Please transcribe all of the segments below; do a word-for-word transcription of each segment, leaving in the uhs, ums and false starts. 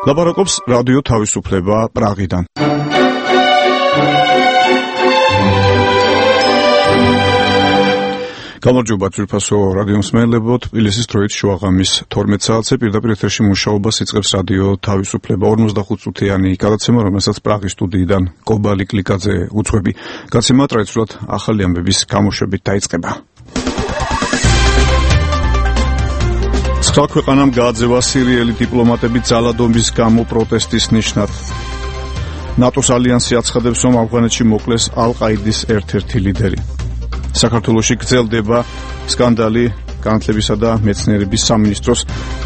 ლაპარაკობს რადიო თავისუფლება პრაღიდან. გამარჯობა ძვირფასო რადიო მსმენელებო, თბილისის დროით შუაღამის თორმეტ საათზე პირდაპირ ეთერში მუშაობას იწყებს რადიო თავისუფლება ორმოცდახუთ წუთიანი გადაცემა, რომელსაც პრაღის სტუდიიდან კობალი კლიკაძე უძღვები. გადაცემა ტრადიციულად ახალი ამბების გამოშვებით დაიწყება. სხვა ქვეყანამ გააძევა სირიელი დიპლომატები ძალადობის გამო პროტესტის ნიშნად. ნატოს ალიანსი აცხადებს, რომ ავღანეთში მოკლეს ალ-ყაიდის ერთ-ერთი ლიდერი. საქართველოში გრძელდება სკანდალი განათლებისა და მეცნიერების სამინისტროს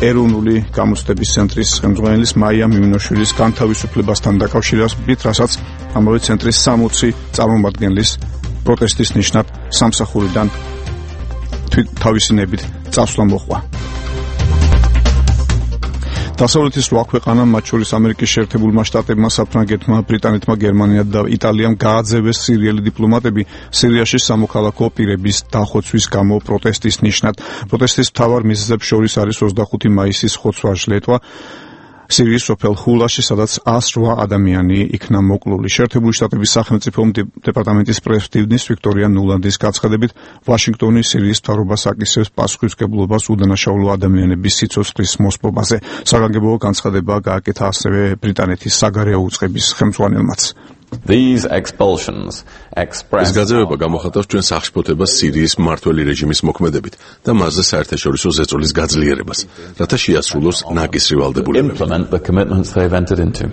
ეროვნული გამოცდების ცენტრის ხელმძღვანელის მაია მიმინოშვილის განთავისუფლებასთან დაკავშირებით, რასაც ამავე ცენტრის სამოცი წარმომადგენლის პროტესტის ნიშნად სამსახურიდან თავისინებით წასვლა მოჰყვა. დასავლეთის რვა ქვეყანამ, მათ შორის ამერიკის შეერთებულმა შტატებმა, საფრანგეთმა, ბრიტანეთმა, გერმანიამ და იტალიამ გააძევეს სირიელი დიპლომატები სირიაში სამოქალაქო პირების დახოცვის გამო პროტესტის ნიშნად. პროტესტის მთავარ მიზეზებს შორის არის ოცდახუთი მაისის ხოცვა-ჟლეტვა სირიის სოფელ ხულაში, სადაც ას რვა ადამიანი იქნა მოკლული. შეერთებული შტატების სახელმწიფო დეპარტამენტის პრესდივნის ვიქტორია ნულანდის გაცხადებით, ვაშინგტონი სირიის მთავრობას აკისრებს პასუხისმგებლობას უდანაშაულო ადამიანების სიცოცხლის მოსპობაზე. საგანგებო განცხადება გააკეთა ასევე ბრიტანეთის საგარეო უწყების ხელმძღვანელმაც. These expulsions express ეს გაძევება გამოხატავს ჩვენ სახშფოთებას სირიის მმართველი რეჟიმის მოქმედებით და მასზე საერთაშორისო ზეწოლის გაძლიერებას, რათა შეასრულოს ნაკისრი ვალდებულებები. implement the commitments they've entered into.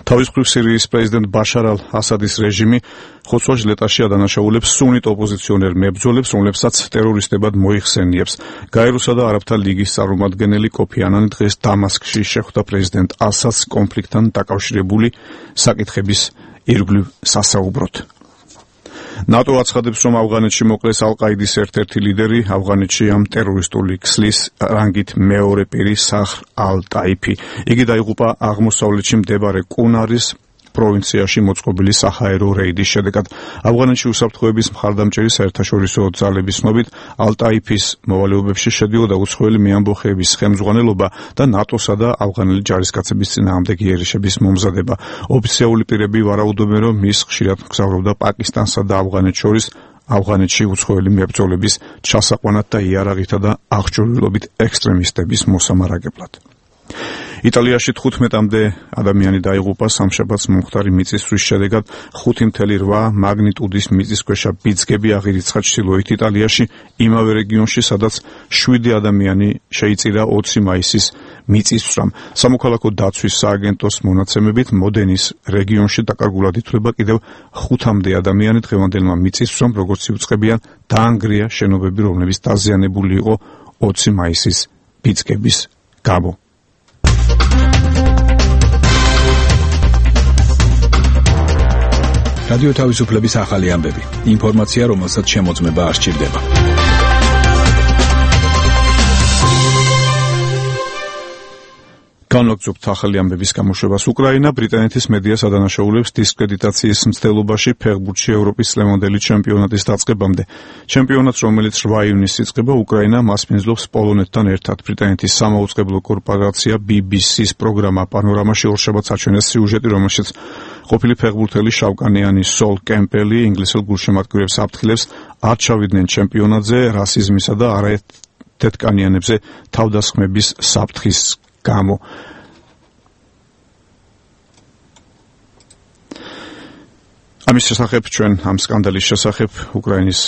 თავის მხრივ სირიის პრეზიდენტ ბაშარ ალ-ასადის რეჟიმი ხოცვა-ჟლეტაში ადანაშაულებს სუნიტ ოპოზიციონერ მებრძოლებს, რომლებსაც ტერორისტებად მოიხსენიებს. გაეროსა და არაბთა ლიგის წარმომადგენელი კოფი ანანი დღეს დამასკში შეხვდა პრეზიდენტ ასადს კონფლიქტთან დაკავშირებული საკითხების ირგვლივ სასაუბროდ. ნატო აცხადებს, რომ ავღანეთში მოკლეს ალ-ყაიდის ერთ-ერთი ლიდერი, ავღანეთში ამ ტერორისტული ქსლის რანგით მეორე პირი საჰრ ალ-ტაიფი. იგი დაიღუპა აღმოსავლეთში მდებარე კუნარის პროვინციაში მოწყობილი საჰაერო რეიდის შედეგად. ავღანეთში უსაფრთხოების მხარდამჭერი საერთაშორისო ძალების ცნობით, ალ-ტაიფის მოვალეობებში შედიოდა უცხოელი მეამბოხეების ხელმძღვანელობა და ნატოსა და ავღანელი ჯარისკაცების წინააღმდეგ იერიშების მომზადება. ოფიციალური პირები ვარაუდობენ, რომ ის ხშირად მგზავრობდა პაკისტანსა და ავღანეთს შორის, ავღანეთში უცხოელი მებრძოლების ჩასაყვანად და იარაღითა და აღჭურვილობით ექსტრემისტების მოსამარაგებლად. იტალიაში თხუთმეტამდე ადამიანი დაიღუპა სამშაბათს მომხდარი მიწისძვრის შედეგად. ხუთი ფاصლე რვა მაგნიტუდის მიწისქვეშა ბიძგები აღირიცხა ჩრდილოეთ იტალიაში, იმავე რეგიონში, სადაც შვიდი ადამიანი შეიწირა ოცი მაისის მიწისძვრამ. სამოქალაქო დაცვის სააგენტოს მონაცემებით, მოდენის რეგიონში დაკარგულად ითვლება კიდევ ხუთამდე ადამიანი. დღევანდელმა მიწისძვრამ, როგორც იუწყებიან, დაანგრია შენობები, რომლებიც დაზიანებული იყო ოცი მაისის ბიძგების გამო. რადიო თავისუფლების ახალი ამბები. ინფორმაცია, რომელსაც შემოწმება არ სჭირდება. განვაგრძობთ ახალი ამბების გამოშვებას. უკრაინა ბრიტანეთის მედიას ადანაშაულებს დისკრედიტაციის მცდელობაში ფეხბურთში ევროპის წლევანდელი ჩემპიონატის დაწყებამდე. ჩემპიონატს, რომელიც რვა ივნისს იწყება, უკრაინა მასპინძლობს პოლონეთთან ერთად. ბრიტანეთის სამაუწყებლო კორპორაცია ბი ბი სის პროგრამა პანორამაში ორშაბათს აჩვენეს სიუჟეტი, რომელშიც ყოფილი ფეხბურთელი შავკანიანი სოლ კემპელი ინგლისელ გულშემატკივრებს აფრთხილებს არ ჩავიდნენ ჩემპიონატზე რასიზმისა და არაერთეთკანიანებზე თავდასხმების საფრთხის გამო. ამის შესახებ ჩვენ ამ სკანდალის შესახებ უკრაინის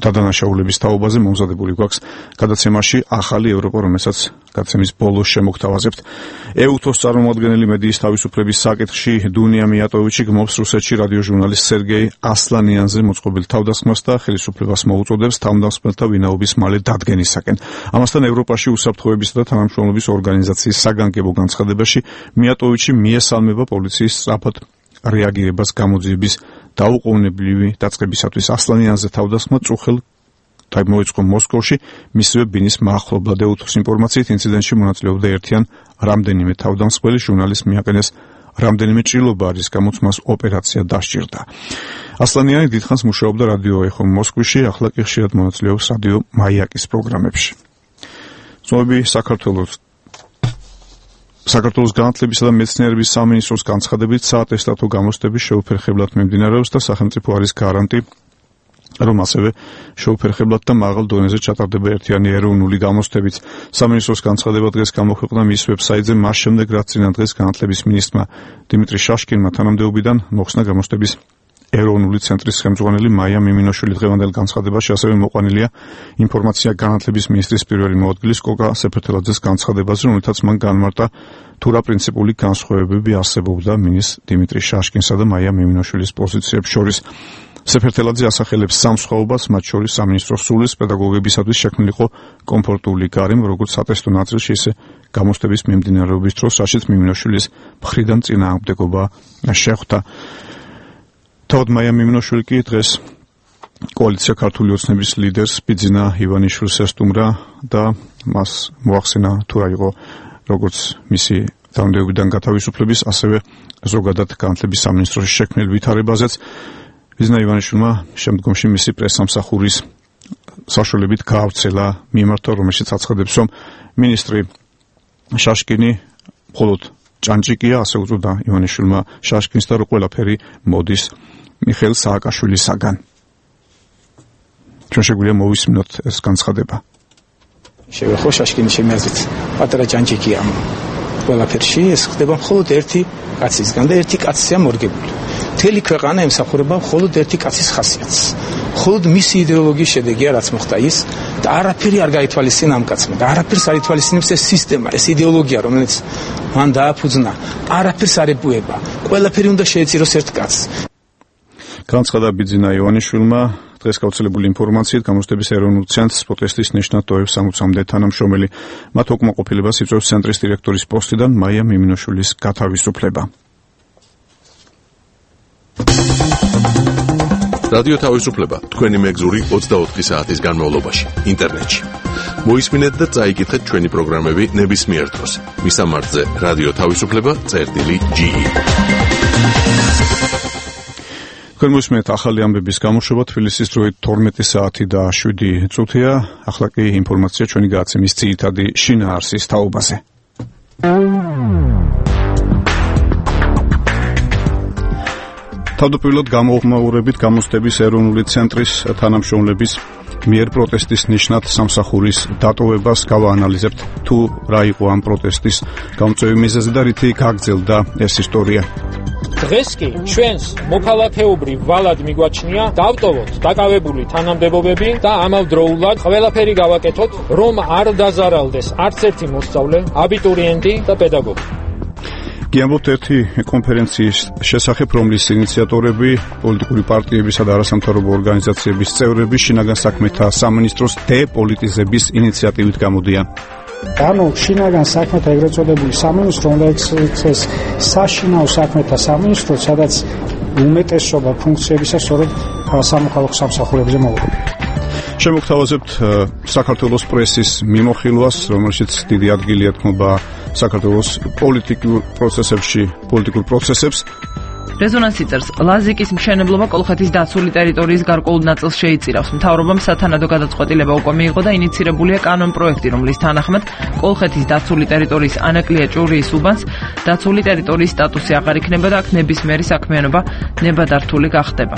დადანაშაულების თაობაზე მომზადებული გვაქვს გადაცემაში ახალი ევროპა, რომელსაც გადაცემის ბოლოს შემოგთავაზებთ. ეუთოს წარმომადგენელი მედიის თავისუფლების საკითხში დუნია მიატოვიჩი გმობს რუსეთში რადიო ჟურნალისტ სერგეი ასლანიანზე მოწყობილ თავდასხმას და ხელისუფლებას მოუწოდებს თავდასხმელთა ვინაობის მალე დადგენისაკენ. ამასთან ევროპაში უსაფრთხოებისა და თანამშრომლობის ორგანიზაციის საგანგებო განცხადებაში მიატოვიჩი მიესალმება პოლიციის სწრაფად რეაგირებას გამოძიების დაუყოვნებლივი დაწყებისათვის. ასლანიანზე თავდასხმა წუხელ მოიწყო მოსკოვში, მისივე ბინის მახლობლად. ეუთოს ინფორმაციით, ინციდენტში მონაწილეობდა ერთიან რამდენიმე თავდამსხმელი. ჟურნალისტს მიაყენეს რამდენიმე ჭრილობა, რის გამოც მას ოპერაცია დასჭირდა. ასლანიანი დიდხანს მუშაობდა რადიო ეხო მოსკოვში, ახლა კი ხშირად მონაწილეობს რადიო მაიაკის პროგრამებში. ზოები საქართველოს საქართველოს განათლებისა და მეცნიერების სამინისტროს განცხადებით საატესტატო გამოცდების შეუფერხებლად მიმდინარეობს და სახელმწიფო არის გარანტი, რომ ასევე შეუფერხებლად და მაღალ დონეზე ჩატარდება ერთიანი ეროვნული გამოცდებით. სამინისტროს განცხადება დღეს გამოქვეყნდა მის ვებსაიტზე მას შემდეგ, რაც წინა დღეს განათლების მინისტრმა დიმიტრი შაშკინმა თანამდებობიდან მოხსნა გამოცდების ეროვნული ცენტრის ხელმძღვანელი მაია მიმინოშვილი. დღევანდელ განცხადებაში ასევე მოყვანილია ინფორმაცია განათლების მინისტრის პირველი მოადგილის კოკა სეფერთელაძეს განცხადებაზე, რომელთაც მან განმარტა თუ რა პრინციპული განსხვავებები არსებობდა მინისტრ დიმიტრი შაშკინსა და მაია მიმინოშვილის პოზიციებს შორის. სეფერთელაძე ასახელებს სამ სხვაობას, მათ შორის სამინისტროს სულის პედაგოგებისათვის შექმნილიყო კომფორტული გარემო, როგორც სატესტო ნაწილში, ისე გამოცდების მიმდინარეობის დროს, რაშიც მიმინოშვილის მხრიდან წინააღმდეგობა შეხვდა. თავად მაია მიმინოშვილი კი დღეს კოალიცია ქართული ოცნების ლიდერს ბიძინა ივანიშვილს ესტუმრა და მას მოახსენა თუ რა იყო როგორც მისი თანამდებობიდან გათავისუფლების, ასევე ზოგადად განათლების სამინისტროში შექმნილ ვითარებაზეც. ბიძინა ივანიშვილმა შემდგომში მისი პრესსამსახურის საშუალებით გაავრცელა მიმართვა, რომელშიც აცხადებს, რომ მინისტრი შაშკინი მხოლოდ ჭანჭიკია, ასე უწოდა ივანიშვილმა შაშკინს და რომ ყველაფერი მოდის მიხეილ სააკაშვილისაგან. ჩვენ შეგვიძლია მოვისმინოთ ეს განცხადება. შევეხო შაშკინი ჩემი აზრით პატარა ჭანჭიკია ყველაფერში, ეს ხდება მხოლოდ ერთი კაცისგან და ერთი კაცია მორგებული. მთელი ქვეყანა ემსახურება მხოლოდ ერთი კაცის ხასიათს. მხოლოდ მისი იდეოლოგიის შედეგია რაც მოხდა ის და არაფერი არ გაითვალისწინა ამ კაცმა და არაფერს არ ითვალისწინებს ეს სისტემა, ეს იდეოლოგია, რომელიც მან დააფუძნა, არაფერს არ ეპუება. ყველაფერი უნდა შეეწიროს ერთ კაცს. განცხადა ბიძინა ივანიშვილმა დღეს გავრცელებული ინფორმაციით გამოცდების ეროვნულ ცენტრს პროტესტის ნიშნად ტოვებს სამოცამდე თანამშრომელი. მათ უკმაყოფილებას იწვევს ცენტრის დირექტორის პოსტიდან მაია მიმინოშვილის გათავისუფლება. რადიო თავისუფლება თქვენი მეგზური ოცდაოთხი საათის განმავლობაში ინტერნეტში. მოისმინეთ და წაიკითხეთ ჩვენი პროგრამები ნებისმიერ დროს. მისამართზე რადიო თავისუფლება წერტილი ჯი. თქვენ მოისმენთ ახალი ამბების გამოშვება, თბილისის დროით თორმეტი საათი და შვიდი წუთია. ახლა კი ინფორმაცია ჩვენი გადაცემის ძირითადი შინაარსის თაობაზე. თავდაპირველად გამოუხმაურებით გამოცდების ეროვნული ცენტრის თანამშრომლების მიერ პროტესტის ნიშნად სამსახურის დატოვებას გავაანალიზებთ თუ რა იყო ამ პროტესტის გამწვევი მიზეზი და რითი გაგრძელდა ეს ისტორია. დღეს კი ჩვენს მოქალაქეობრივ ვალად მიგვაჩნია დავტოვოთ დაკავებული თანამდებობები და ამავდროულად ყველაფერი გავაკეთოთ, რომ არ დაზარალდეს არც ერთი მოსწავლე, აბიტურიენტი და პედაგოგი. გიამბობთ ერთი კონფერენციის შესახებ, რომლის ინიციატორები პოლიტიკური პარტიებისა და არასამთავრობო ორგანიზაციების წევრები შინაგან საქმეთა სამინისტროს დეპოლიტიზების ინიციატივით გამოდიან. ანუ შინაგან საქმეთა ეგრეთ წოდებული სამინისტრო უნდა ექცეს საშინაო საქმეთა სამინისტრო, სადაც უმეტესობა ფუნქციებისა სწორედ სამოქალაქო სამსახურებზე მოუწევს. შემოგთავაზებთ საქართველოს პრესის მიმოხილვას, რომელშიც დიდი ადგილი ეთმობა საქართველოს პოლიტიკურ პროცესებში, პოლიტიკურ პროცესებს. რეზონანსი წერს, ლაზიკის მშენებლობა კოლხეთის დაცული ტერიტორიის გარკვეულ ნაწილს შეიწირავს. მთავრობამ სათანადო გადაწყვეტილება უკვე მიიღო და ინიცირებულია კანონპროექტი, რომლის თანახმად კოლხეთის დაცული ტერიტორიის ანაკლია ჭურიის უბანს დაცული ტერიტორიის სტატუსი აღარ იქნება და აქ ნებისმიერი საქმიანობა ნებადართული გახდება.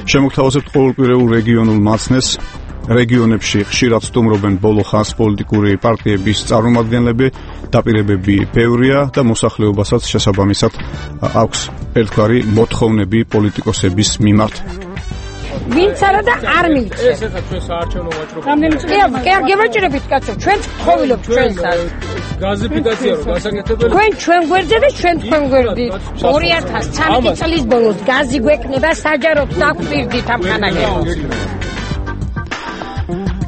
შემოგთავაზებთ ყოველკვირეულ რეგიონულ მაცნეს. რეგიონებში ხშირად სტუმრობენ ბოლო ხანს პოლიტიკური პარტიების წარმომადგენლები, დაპირებები ბევრია და მოსახლეობასაც შესაბამისად აქვს ერთგვარი მოთხოვნები პოლიტიკოსების მიმართ. ვინც არა და არ მივიწევ. ეს ესა ჩვენ საარჩევნო ვაჭრობა. კი, კი, გევაჭრებით კაცო, ჩვენ გთხოვილობთ ჩვენსას. გაზიფიკაცია რო გასაკეთებელი. თქვენ ჩვენ გვერდზე და ჩვენ თქვენ გვერდით. ორი ათას ცხრამეტი წლის ბოლოს გაზი გვექნება საჯაროდ დაგვირდით ამ ხანაგებს.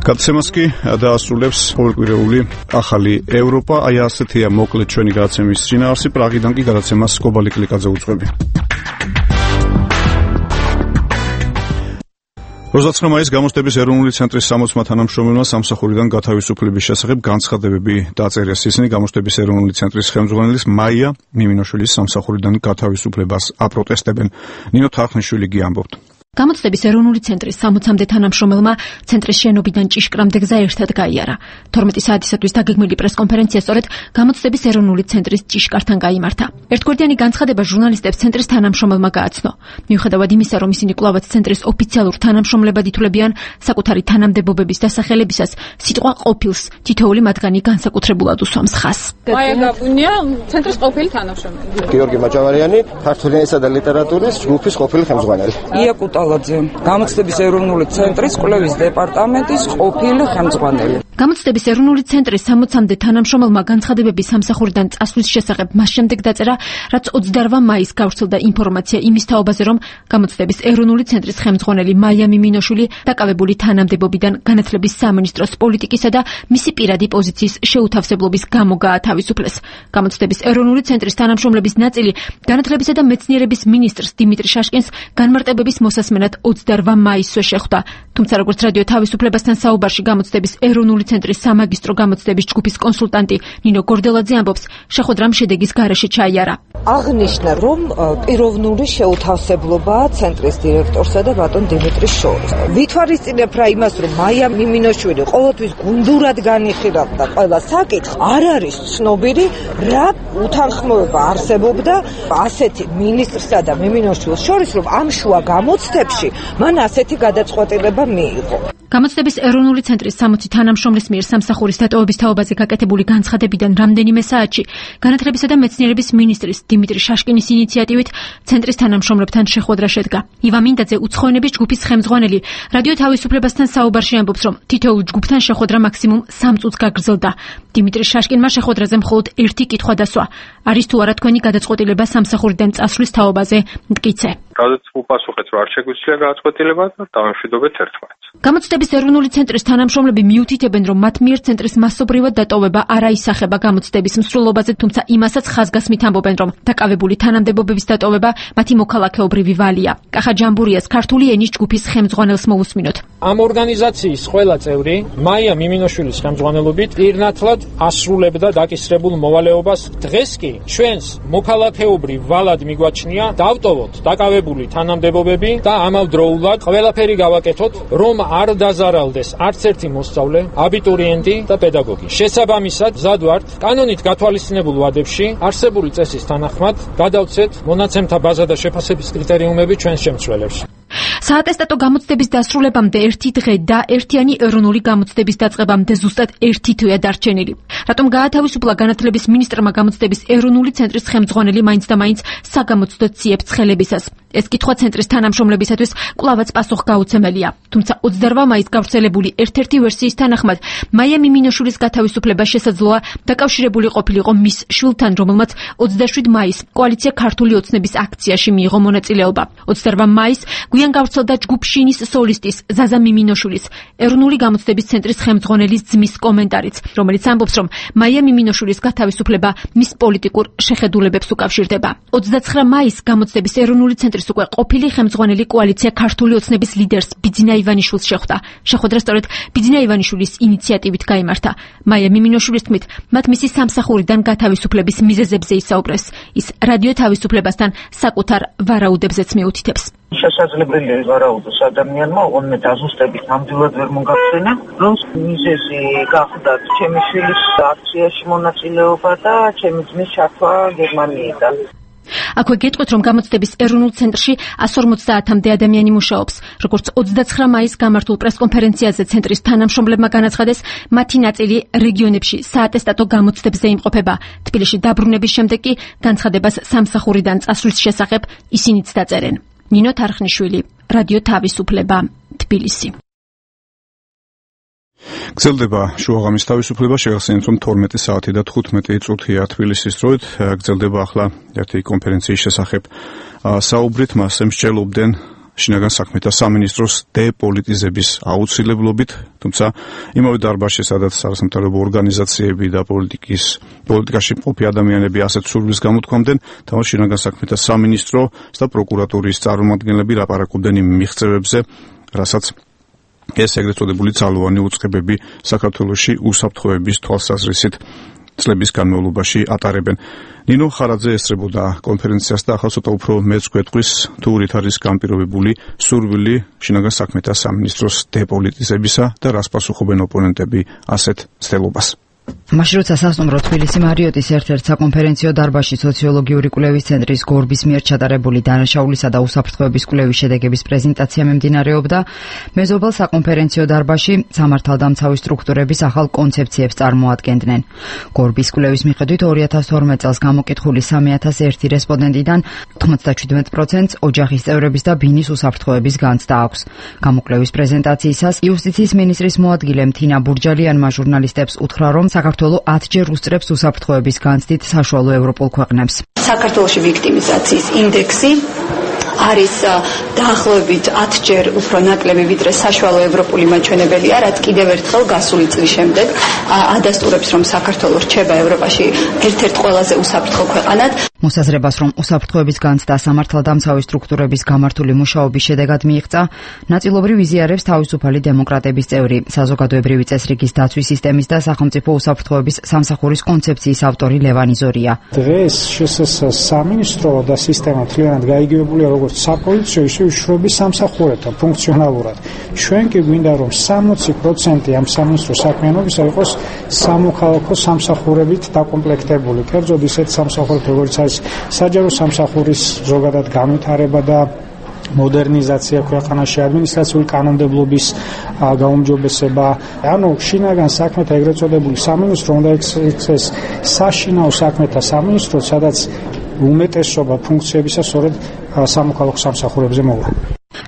გადაცემას კი დაასრულებს ყოველკვირეული ახალი ევროპა. აი ასეთია მოკლედ ჩვენი გადაცემის შინაარსი. პრაღიდან კი გადაცემას კობალი კლიკაძე უძღვები. ოცდაოთხი მაისს გამოცდების ეროვნული ცენტრის სამოცმა თანამშრომელმა სამსახურიდან გათავისუფლების შესახებ განცხადებები დაწერეს. ისინი გამოცდების ეროვნული ცენტრის ხელმძღვანელის მაია მიმინოშვილის სამსახურიდან გათავისუფლებას აპროტესტებენ. ნინო თარხნიშვილი კი ამბობთ. გამოცდების ეროვნული ცენტრის სამოცამდე თანამშრომელმა ცენტრის შენობიდან ჭიშკრამდე გზა ერთად გაიარა. თორმეტი საათისათვის დაგეგმილი პრესკონფერენცია სწორედ გამოცდების ეროვნული ცენტრის ჭიშკართან გაიმართა. ერთგვარდიანი განცხადება ჟურნალისტებს ცენტრის თანამშრომელმა გააცნო. მიუხედავად იმისა, რომ ისინი კვლავაც ცენტრის ოფიციალურ თანამშრომლებად ითვლებიან, საკუთარი თანამდებობების დასახელებისას სიტყვა ყოფილს თითოეული მათგანი განსაკუთრებულად უსვამს ხაზს. მაია გაბუნია, ცენტრის ყოფილი თანამშრომელი. გიორგი მაჭავარიანი, ქართული ენისა და ლიტერატურის ჯგუფის ყოფილი ხელმძღვანელი. ია გამოცდების ეროვნული ცენტრის კვლევის დეპარტამენტის ყოფილი ხელმძღვანელი. გამოცდების ეროვნული ცენტრის სამოცამდე თანამშრომელმა განცხადებების სამსახურიდან წასვლის შესახებ მას შემდეგ დაწერა, რაც ოცდაორ მაისს გავრცელდა ინფორმაცია იმის თაობაზე, რომ გამოცდების ეროვნული ცენტრის ხელმძღვანელი მაია მიმინოშვილი დაკავებული თანამდებობიდან განათლების სამინისტროს პოლიტიკისა და მისი პირადი პოზიციის შეუთავსებლობის გამო გაათავისუფლეს. გამოცდების ეროვნული ცენტრის თანამშრომლების ნაწილი განათლებისა და მეცნიერების მინისტრს დიმიტრი შაშკინს განმარტებების მოსასმენად ოცდაორ მაისსვე შეხვდა. თუმცა როგორც რადიო თავისუფლებასთან საუბარში გამოცდების ეროვნული ცენტრის სამაგისტრო გამოცდების ჯგუფის კონსულტანტი ნინო გორდელაძე ამბობს, შეხვედრამ შედეგის გარეშე ჩაიარა. აღნიშნა, რომ პიროვნული შეუთავსებლობაა ცენტრის დირექტორსა და ბატონ დიმიტრის შორის. ვითვალისწინებ რა იმას, რომ მაია მიმინოშვილი ყოველთვის გუნდურად განიხილავდა ყველა საკითხს, არ არის ცნობილი, რა უთანხმოება არსებობდა ასეთი მინისტრსა და მიმინოშვილის შორის, რომ ამ შუა გამოცდებში მან ასეთი გადაწყვეტილება მიიღო. გამოცდების ეროვნული ცენტრის სამოცი თანამშრომლის მიერ სამსახურის დატოვების თაობაზე გაკეთებული განცხადებიდან რამდენიმე საათში განათლებისა და მეცნიერების მინისტრის დიმიტრი შაშკინის ინიციატივით ცენტრის თანამშრომლებთან შეხვედრა შედგა. ივა მინდაძე უცხოენების ჯგუფის ხელმძღვანელი რადიო თავისუფლებასთან საუბარში ამბობს, რომ თითოეულ ჯგუფთან შეხვედრა მაქსიმუმ სამ წუთს გაგრძელდა. დიმიტრი შაშკინმა შეხვედრაზე მხოლოდ ერთი კითხვა დასვა: არის თუ არა თქვენი გადაწყვეტილება სამსახურიდან წასვლის თაობაზე მტკიცე? რადგან უპასუხეთ, რომ არ შეგვიძლია გადაწყვეტილება და დავამშვიდობეთ ერთმანეთს. გამოცდების ეროვნული ცენტრის თანამშრომლები მიუთითებენ, რომ მათ მიერ ცენტრის მასობრივად დატოვება არ აისახება გამოცდების მსვლელობაზე, თუმცა იმასაც ხაზგასმით ამბობენ, რომ დაკავებული თანამდებობების დატოვება მათი მოქალაქეობრივი ვალია. კახა ჯამბურიას ქართული ენის ჯგუფის ხელმძღვანელს მოусმინოთ. ამ ორგანიზაციის ყველა წევრი მაია მიმინოშვილის ხელმძღვანელობით პირნათლად ასრულებდა დაკისრებულ მოვალეობას. დღეს კი ჩვენს მოქალაქეობრივ ვალად მიგვაჩნია დავტოვოთ დაკავებული თანამდებობები და ამავდროულად ყველაფერი გავაკეთოთ, რომ არ დაზარალდეს არც ერთი მოსწავლე, აბიტურიენტი და პედაგოგი. შესაბამისად, მზად ვართ კანონით გათვალისწინებულ ვადებში არსებული წესის თანახმად გადავცეთ მონაცემთა ბაზა და შეფასების კრიტერიუმები ჩვენს შემცვლელებში. საატესტატო გამოცდების დასრულებამდე ერთი დღე და ერთიანი ეროვნული გამოცდების დაწყებამდე ზუსტად ერთი თვეა დარჩენილი. რატომ გაათავისუფლა განათლების მინისტრმა გამოცდების ეროვნული ცენტრის ხელმძღვანელი მაინც და მაინც საგამოცდო ციებს ხელებისას? ეს კითხვა ცენტრის თანამშრომლებისათვის კვლავაც პასუხგაუცემელია. თუმცა ოცდაორ მაისს გავრცელებული ერთ-ერთი ვერსიის თანახმად, მაია მიმინოშვილის გათავისუფლება შესაძლოა დაკავშირებული ყოფილიყო მის შვილთან, რომელმაც ოცდაშვიდ მაისს კოალიცია ქართული ოცნების აქციაში მიიღო მონაწილეობა. ოცდაორ მაისს გვიან გავრცელდა ჯგუფ შინის სოლისტის ზაზა მიმინოშვილის ეროვნული გამოცდების ცენტრის ხელმძღვანელის ძმის კომენტარიც, რომელიც ამბობს, რომ მაია მიმინოშვილის გათავისუფლება მის პოლიტიკურ შეხედულებებს უკავშირდება. ოცდაცხრა მაისს გამოცდების ეროვნული ცენტრის უკვე ყოფილი ხელმძღვანელი კოალიცია ქართული ოცნების ლიდერს ბიძინა ივანიშვილს შეხვდა. შეხვედრა სწორედ ბიძინა ივანიშვილის ინიციატივით გაიმართა. მაია მიმინოშვილის თქმით, მათ მისი სამსახურიდან გათავისუფლების მიზეზებზე ისაუბრეს. ის რადიო თავისუფლებასთან საკუთარ ვარაუდებზეც მიუთითებს. შესაძლებელია ვარაუდოს ადამიანმა, ოღონდ დაზუსტებით ნამდვილად ვერ მოგახსენა, რომ მიზეზი გახდათ ჩემი შვილის აქციაში მონაწილეობა და ჩემი ძმის ჩართვა გერმანიიდან. აქვე გეტყვით, რომ გამოცდების ეროვნულ ცენტრში εκατს ორმოცდაათამდე ადამიანი მუშაობს. როგორც ოცდაცხრა მაისს გამართულ პრესკონფერენციაზე ცენტრის თანამშრომლებმა განაცხადეს, მათი ნაწილი რეგიონებში საატესტატო გამოცდებზე იმყოფება. თბილისში დაბრუნების შემდეგ კი განცხადებას სამსახურიდან წასვლის შესახებ ისინიც დაწერენ. ნინო თარხნიშვილი, რადიო თავისუფლება, თბილისი. გრძელდება შუაღამის თავისუფლება, შეგახსენებთ, რომ თორმეტი საათი და თხუთმეტი წუთია თბილისის დროით. გრძელდება ახლა ერთი კონფერენციის შესახებ საუბრით, მასზე მსჯელობდნენ შინაგან საქმეთა სამინისტროს დეპოლიტიზების აუცილებლობით, თუმცა იმავე დარბაზში, სადაც არასამთავრობო ორგანიზაციები და პოლიტიკის პოლიტიკაში მყოფი ადამიანები ასეთ სურვილს გამოთქვამდნენ, თამაშ შინაგან საქმეთა სამინისტრო და პროკურატურის წარმომადგენლები ლაპარაკობდნენ იმ მიღწევებზე, რასაც ეს ეგრეთ წოდებული ძალოვანი უწყებები საქართველოში უსაფრთხოების თვალსაზრისით წლების განმავლობაში ატარებენ. ნინო ხარაძე ესწრებოდა კონფერენციას და ახლა ცოტა უფრო მეც გვეტყვის თუ რით არის განპირობებული სურვილი შინაგან საქმეთა სამინისტროს დეპოლიტიზებისა და რას პასუხობენ ოპონენტები ასეთ ცდელობას. მაშინ როცა სასტუმრო თბილისი მარიოტის ერთ-ერთ საკონფერენციო დარბაზში სოციოლოგიური კვლევის ცენტრის გორბის მიერ ჩატარებული დანაშაულისა და უსაფრთხოების კვლევის შედეგების პრეზენტაცია მიმდინარეობდა, მეზობელ საკონფერენციო დარბაზში სამართალდამცავი სტრუქტურების ახალ კონცეფციებს წარმოადგენდნენ. გორბის კვლევის მიხედვით ორი ათას თორმეტ წელს გამოკითხული სამი ათას ერთი რესპონდენტიდან თხმოცდაჩვიდმეტ პროცენტს ოჯახის წევრების და ბინის უსაფრთხოების განცდა აქვს. გამოკვლევის პრეზენტაციისას იუსტიციის მინისტრის მოადგილე თინა ბურჯალიანმა ჟურნალისტებს უთხრა, რომ საქართველო ათჯერ უსწრებს უსაფრთხოების განცდით საშუალო ევროპულ ქვეყნებს. საქართველოში ვიქტიმიზაციის ინდექსი არის დაახლოებით ათჯერ უფრო ნაკლები ვიდრე საშუალო ევროპული მაჩვენებელია, რაც კიდევ ერთხელ გასული წლის შემდეგ ადასტურებს, რომ საქართველო რჩება ევროპაში ერთ-ერთ ყველაზე უსაფრთხო ქვეყანად. მოსაზრებას, რომ უსაფრთხოების განცდა სამართალდამცავი სტრუქტურების გამართული მუშაობის შედეგად მიიღწა, ნაწილობრივ იზიარებს თავისუფალი დემოკრატების წევრი, საზოგადოებრივი წესრიგის დაცვის სისტემის და სახელმწიფო უსაფრთხოების სამსახურის კონცეფციის ავტორი ლევანი ზორია. დღეს შსს სამინისტრო და სისტემა მთლიანად გაიგივებულია როგორც საპოლიციო, ისე უშუალოდ სამსახურებთან ფუნქციონალურად. ჩვენ კი გვინდა, რომ სამოცი პროცენტი ამ სამინისტროს საქმიანობისა იყოს სამოქალაქო სამსახურებით დაკომპლექტებული. კერძოდ ისეთ სამსახურებით, როგორც არის საჯარო სამსახურის ზოგადად განვითარება და მოდერნიზაცია ქვეყანაში, ადმინისტრაციული კანონმდებლობის გაუმჯობესება, ანუ შინაგან საქმეთა ეგრეთ წოდებული სამინისტრო უნდა იქცეს საშინაო საქმეთა სამინისტრო, სადაც უმეტესობა ფუნქციებისა სწორედ სამოქალაქო სამსახურებზე მოვა.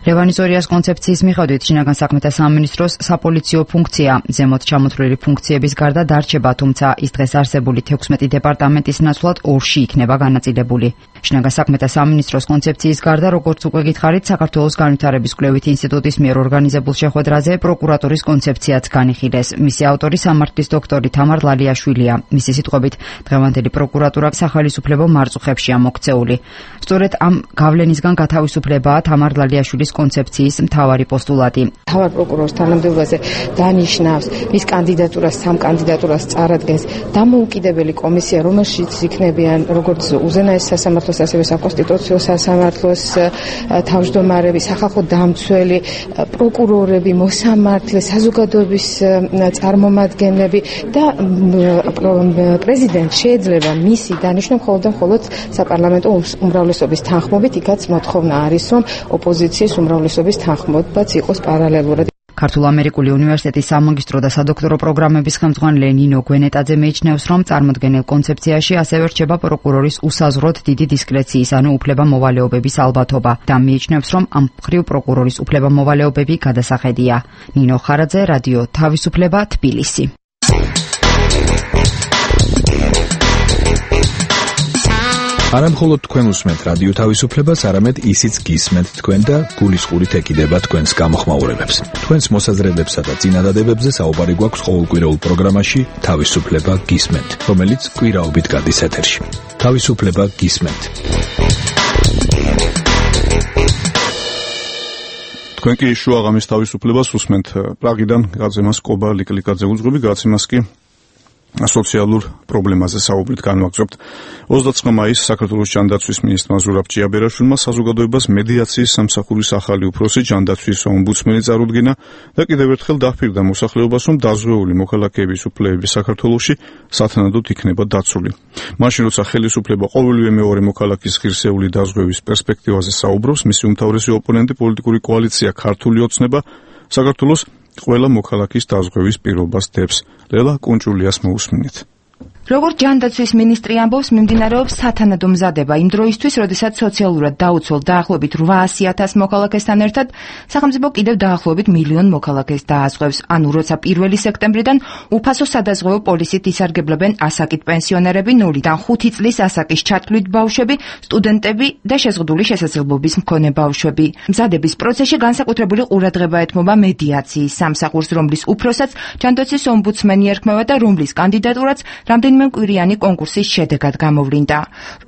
ლევანი ზორიას კონცეფციის მიხედვით შინაგან საქმეთა სამინისტროს საპოლიციო ფუნქცია ზემოთ ჩამოთვლილი ფუნქციების გარდა დარჩება, თუმცა ის დღეს არსებული თექვსმეტი დეპარტამენტის ნაცვლად ორში იქნება განაწილებული. შინაგან საქმეთა სამინისტროს კონცეფციის გარდა, როგორც უკვე გითხარით, საქართველოს განვითარების კვლევით ინსტიტუტის მიერ ორგანიზებულ შეხვედრაზე პროკურატურის კონცეფციაც განიხილეს. მისი ავტორი სამართლის დოქტორი თამარ ლალიაშვილია. მისი სიტყვებით, დღევანდელი პროკურატურა სახელმწიფო მარწუხებშია მოქცეული. სწორედ ამ გავლენისგან გათავისუფლებაა თამარ ლალიაშვილის კონცეფციის მთავარი პოსტულატი. თავარ პროკურორის თანამდებობაზე დანიშნავს მის კანდიდატურას, სამ კანდიდატურას წარადგენს დამოუკიდებელი კომისია, რომელშიც იქნებიან როგორც უზენაეს სასამართლოს, ასევე საკონსტიტუციო სასამართლოს თავმჯდომარები, სახალხო დამცველი, პროკურორები, მოსამართლე, საზოგადოების წარმომადგენლები და პრეზიდენტ შეიძლება მისი დანიშნა მხოლოდ და მხოლოდ საპარლამენტო უმრავლესობის თანხმობით, იქაც მოთხოვნა არის, რომ ოპოზიციის უმრავლესობის თანხმობაც იყოს პარალელურად. ქართულ-ამერიკული უნივერსიტეტის სამაგისტრო და სადოქტორო პროგრამების ხელმძღვანელი ნინო გვენეტაძე მეჩნევს, რომ წარმოდგენილ კონცეფციაში ასევე რჩება პროკურორის უსაზღვროდ დიდი დისკრეციის, ანუ უფლებამოვალეობების ალბათობა და მიიჩნევს, რომ ამ მხრივ პროკურორის უფლებამოვალეობები გადასახედია. ნინო ხარაძე, რადიო თავისუფლება, თბილისი. არა მხოლოდ თქვენ უსმენთ რადიო თავისუფლებას, არამედ ისიც გისმენთ თქვენ და გულისყურით ეკიდება თქვენს გამოხმაურებებს. თქვენს მოსაზრებებსა და წინადადებებზე საუბარი გვაქვს ყოველკვირეულ პროგრამაში თავისუფლება გისმენთ, რომელიც კვირაობით გადის ეთერში. თავისუფლება გისმენთ. თქვენ კი შუაღამის თავისუფლებას უსმენთ. პრაღიდან გაზემას კობა ლიკლიკაძე უძღვები, გაცემას კი სოციალურ პრობლემაზე საუბრით განვაგრძობთ. ოცდაათი მაისს საქართველოს ჯანდაცვის მინისტრმა ზურაბ ჭიაბერაშვილმა საზოგადოებას მედიაციის სამსახურის ახალი უფროსი ჯანდაცვის ომბუდსმენი წარუდგინა და კიდევ ერთხელ დაფირდა მოსახლეობას, რომ დაზღვეული მოქალაქეების უფლებები საქართველოში სათანადოდ იქნება დაცული. მაშინ როცა ხელისუფლება ყოველივე მეორე მოქალაქის ღირსეული დაზღვევის პერსპექტივაზე საუბრობს, მისი უმთავრესი ოპონენტი პოლიტიკური კოალიცია ქართული ოცნება საქართველოს ყველა მოქალაქის დაზღვევის პირობას დებს. ლელა კუნჭულიას მოусმინეთ. როგორც ჯანდაცვის მინისტრი ამბობს, მიმდინარეობს სათანადო მზადება იმ დროისთვის, როდესაც სოციალურად დაუცველ დაახლოებით რვაასი ათას მოქალაქესთან ერთად სახელმწიფო კიდევ დაახლოებით მილიონ მოქალაქეს დააზღვევს. ანუ როცა პირველი სექტემბრიდან უფასო სადაზღვევო პოლისით ისარგებლებენ ასაკით პენსიონერები, ნულიდან ხუთი წლის ასაკის ჩათვლით ბავშვები, სტუდენტები და შეზღუდული შესაძლებლობის მქონე ბავშვები. მზადების პროცესში განსაკუთრებული ყურადღება ეთმობა მედიაციის სამსახურს, რომლის უფროსაც ჯანდაცვის ომბუდსმენი ერქმევა და რომლის კანდიდატურაც რამდენი რამდენიმე მკვირიანი კონკურსის შედეგად გამოვლინდა.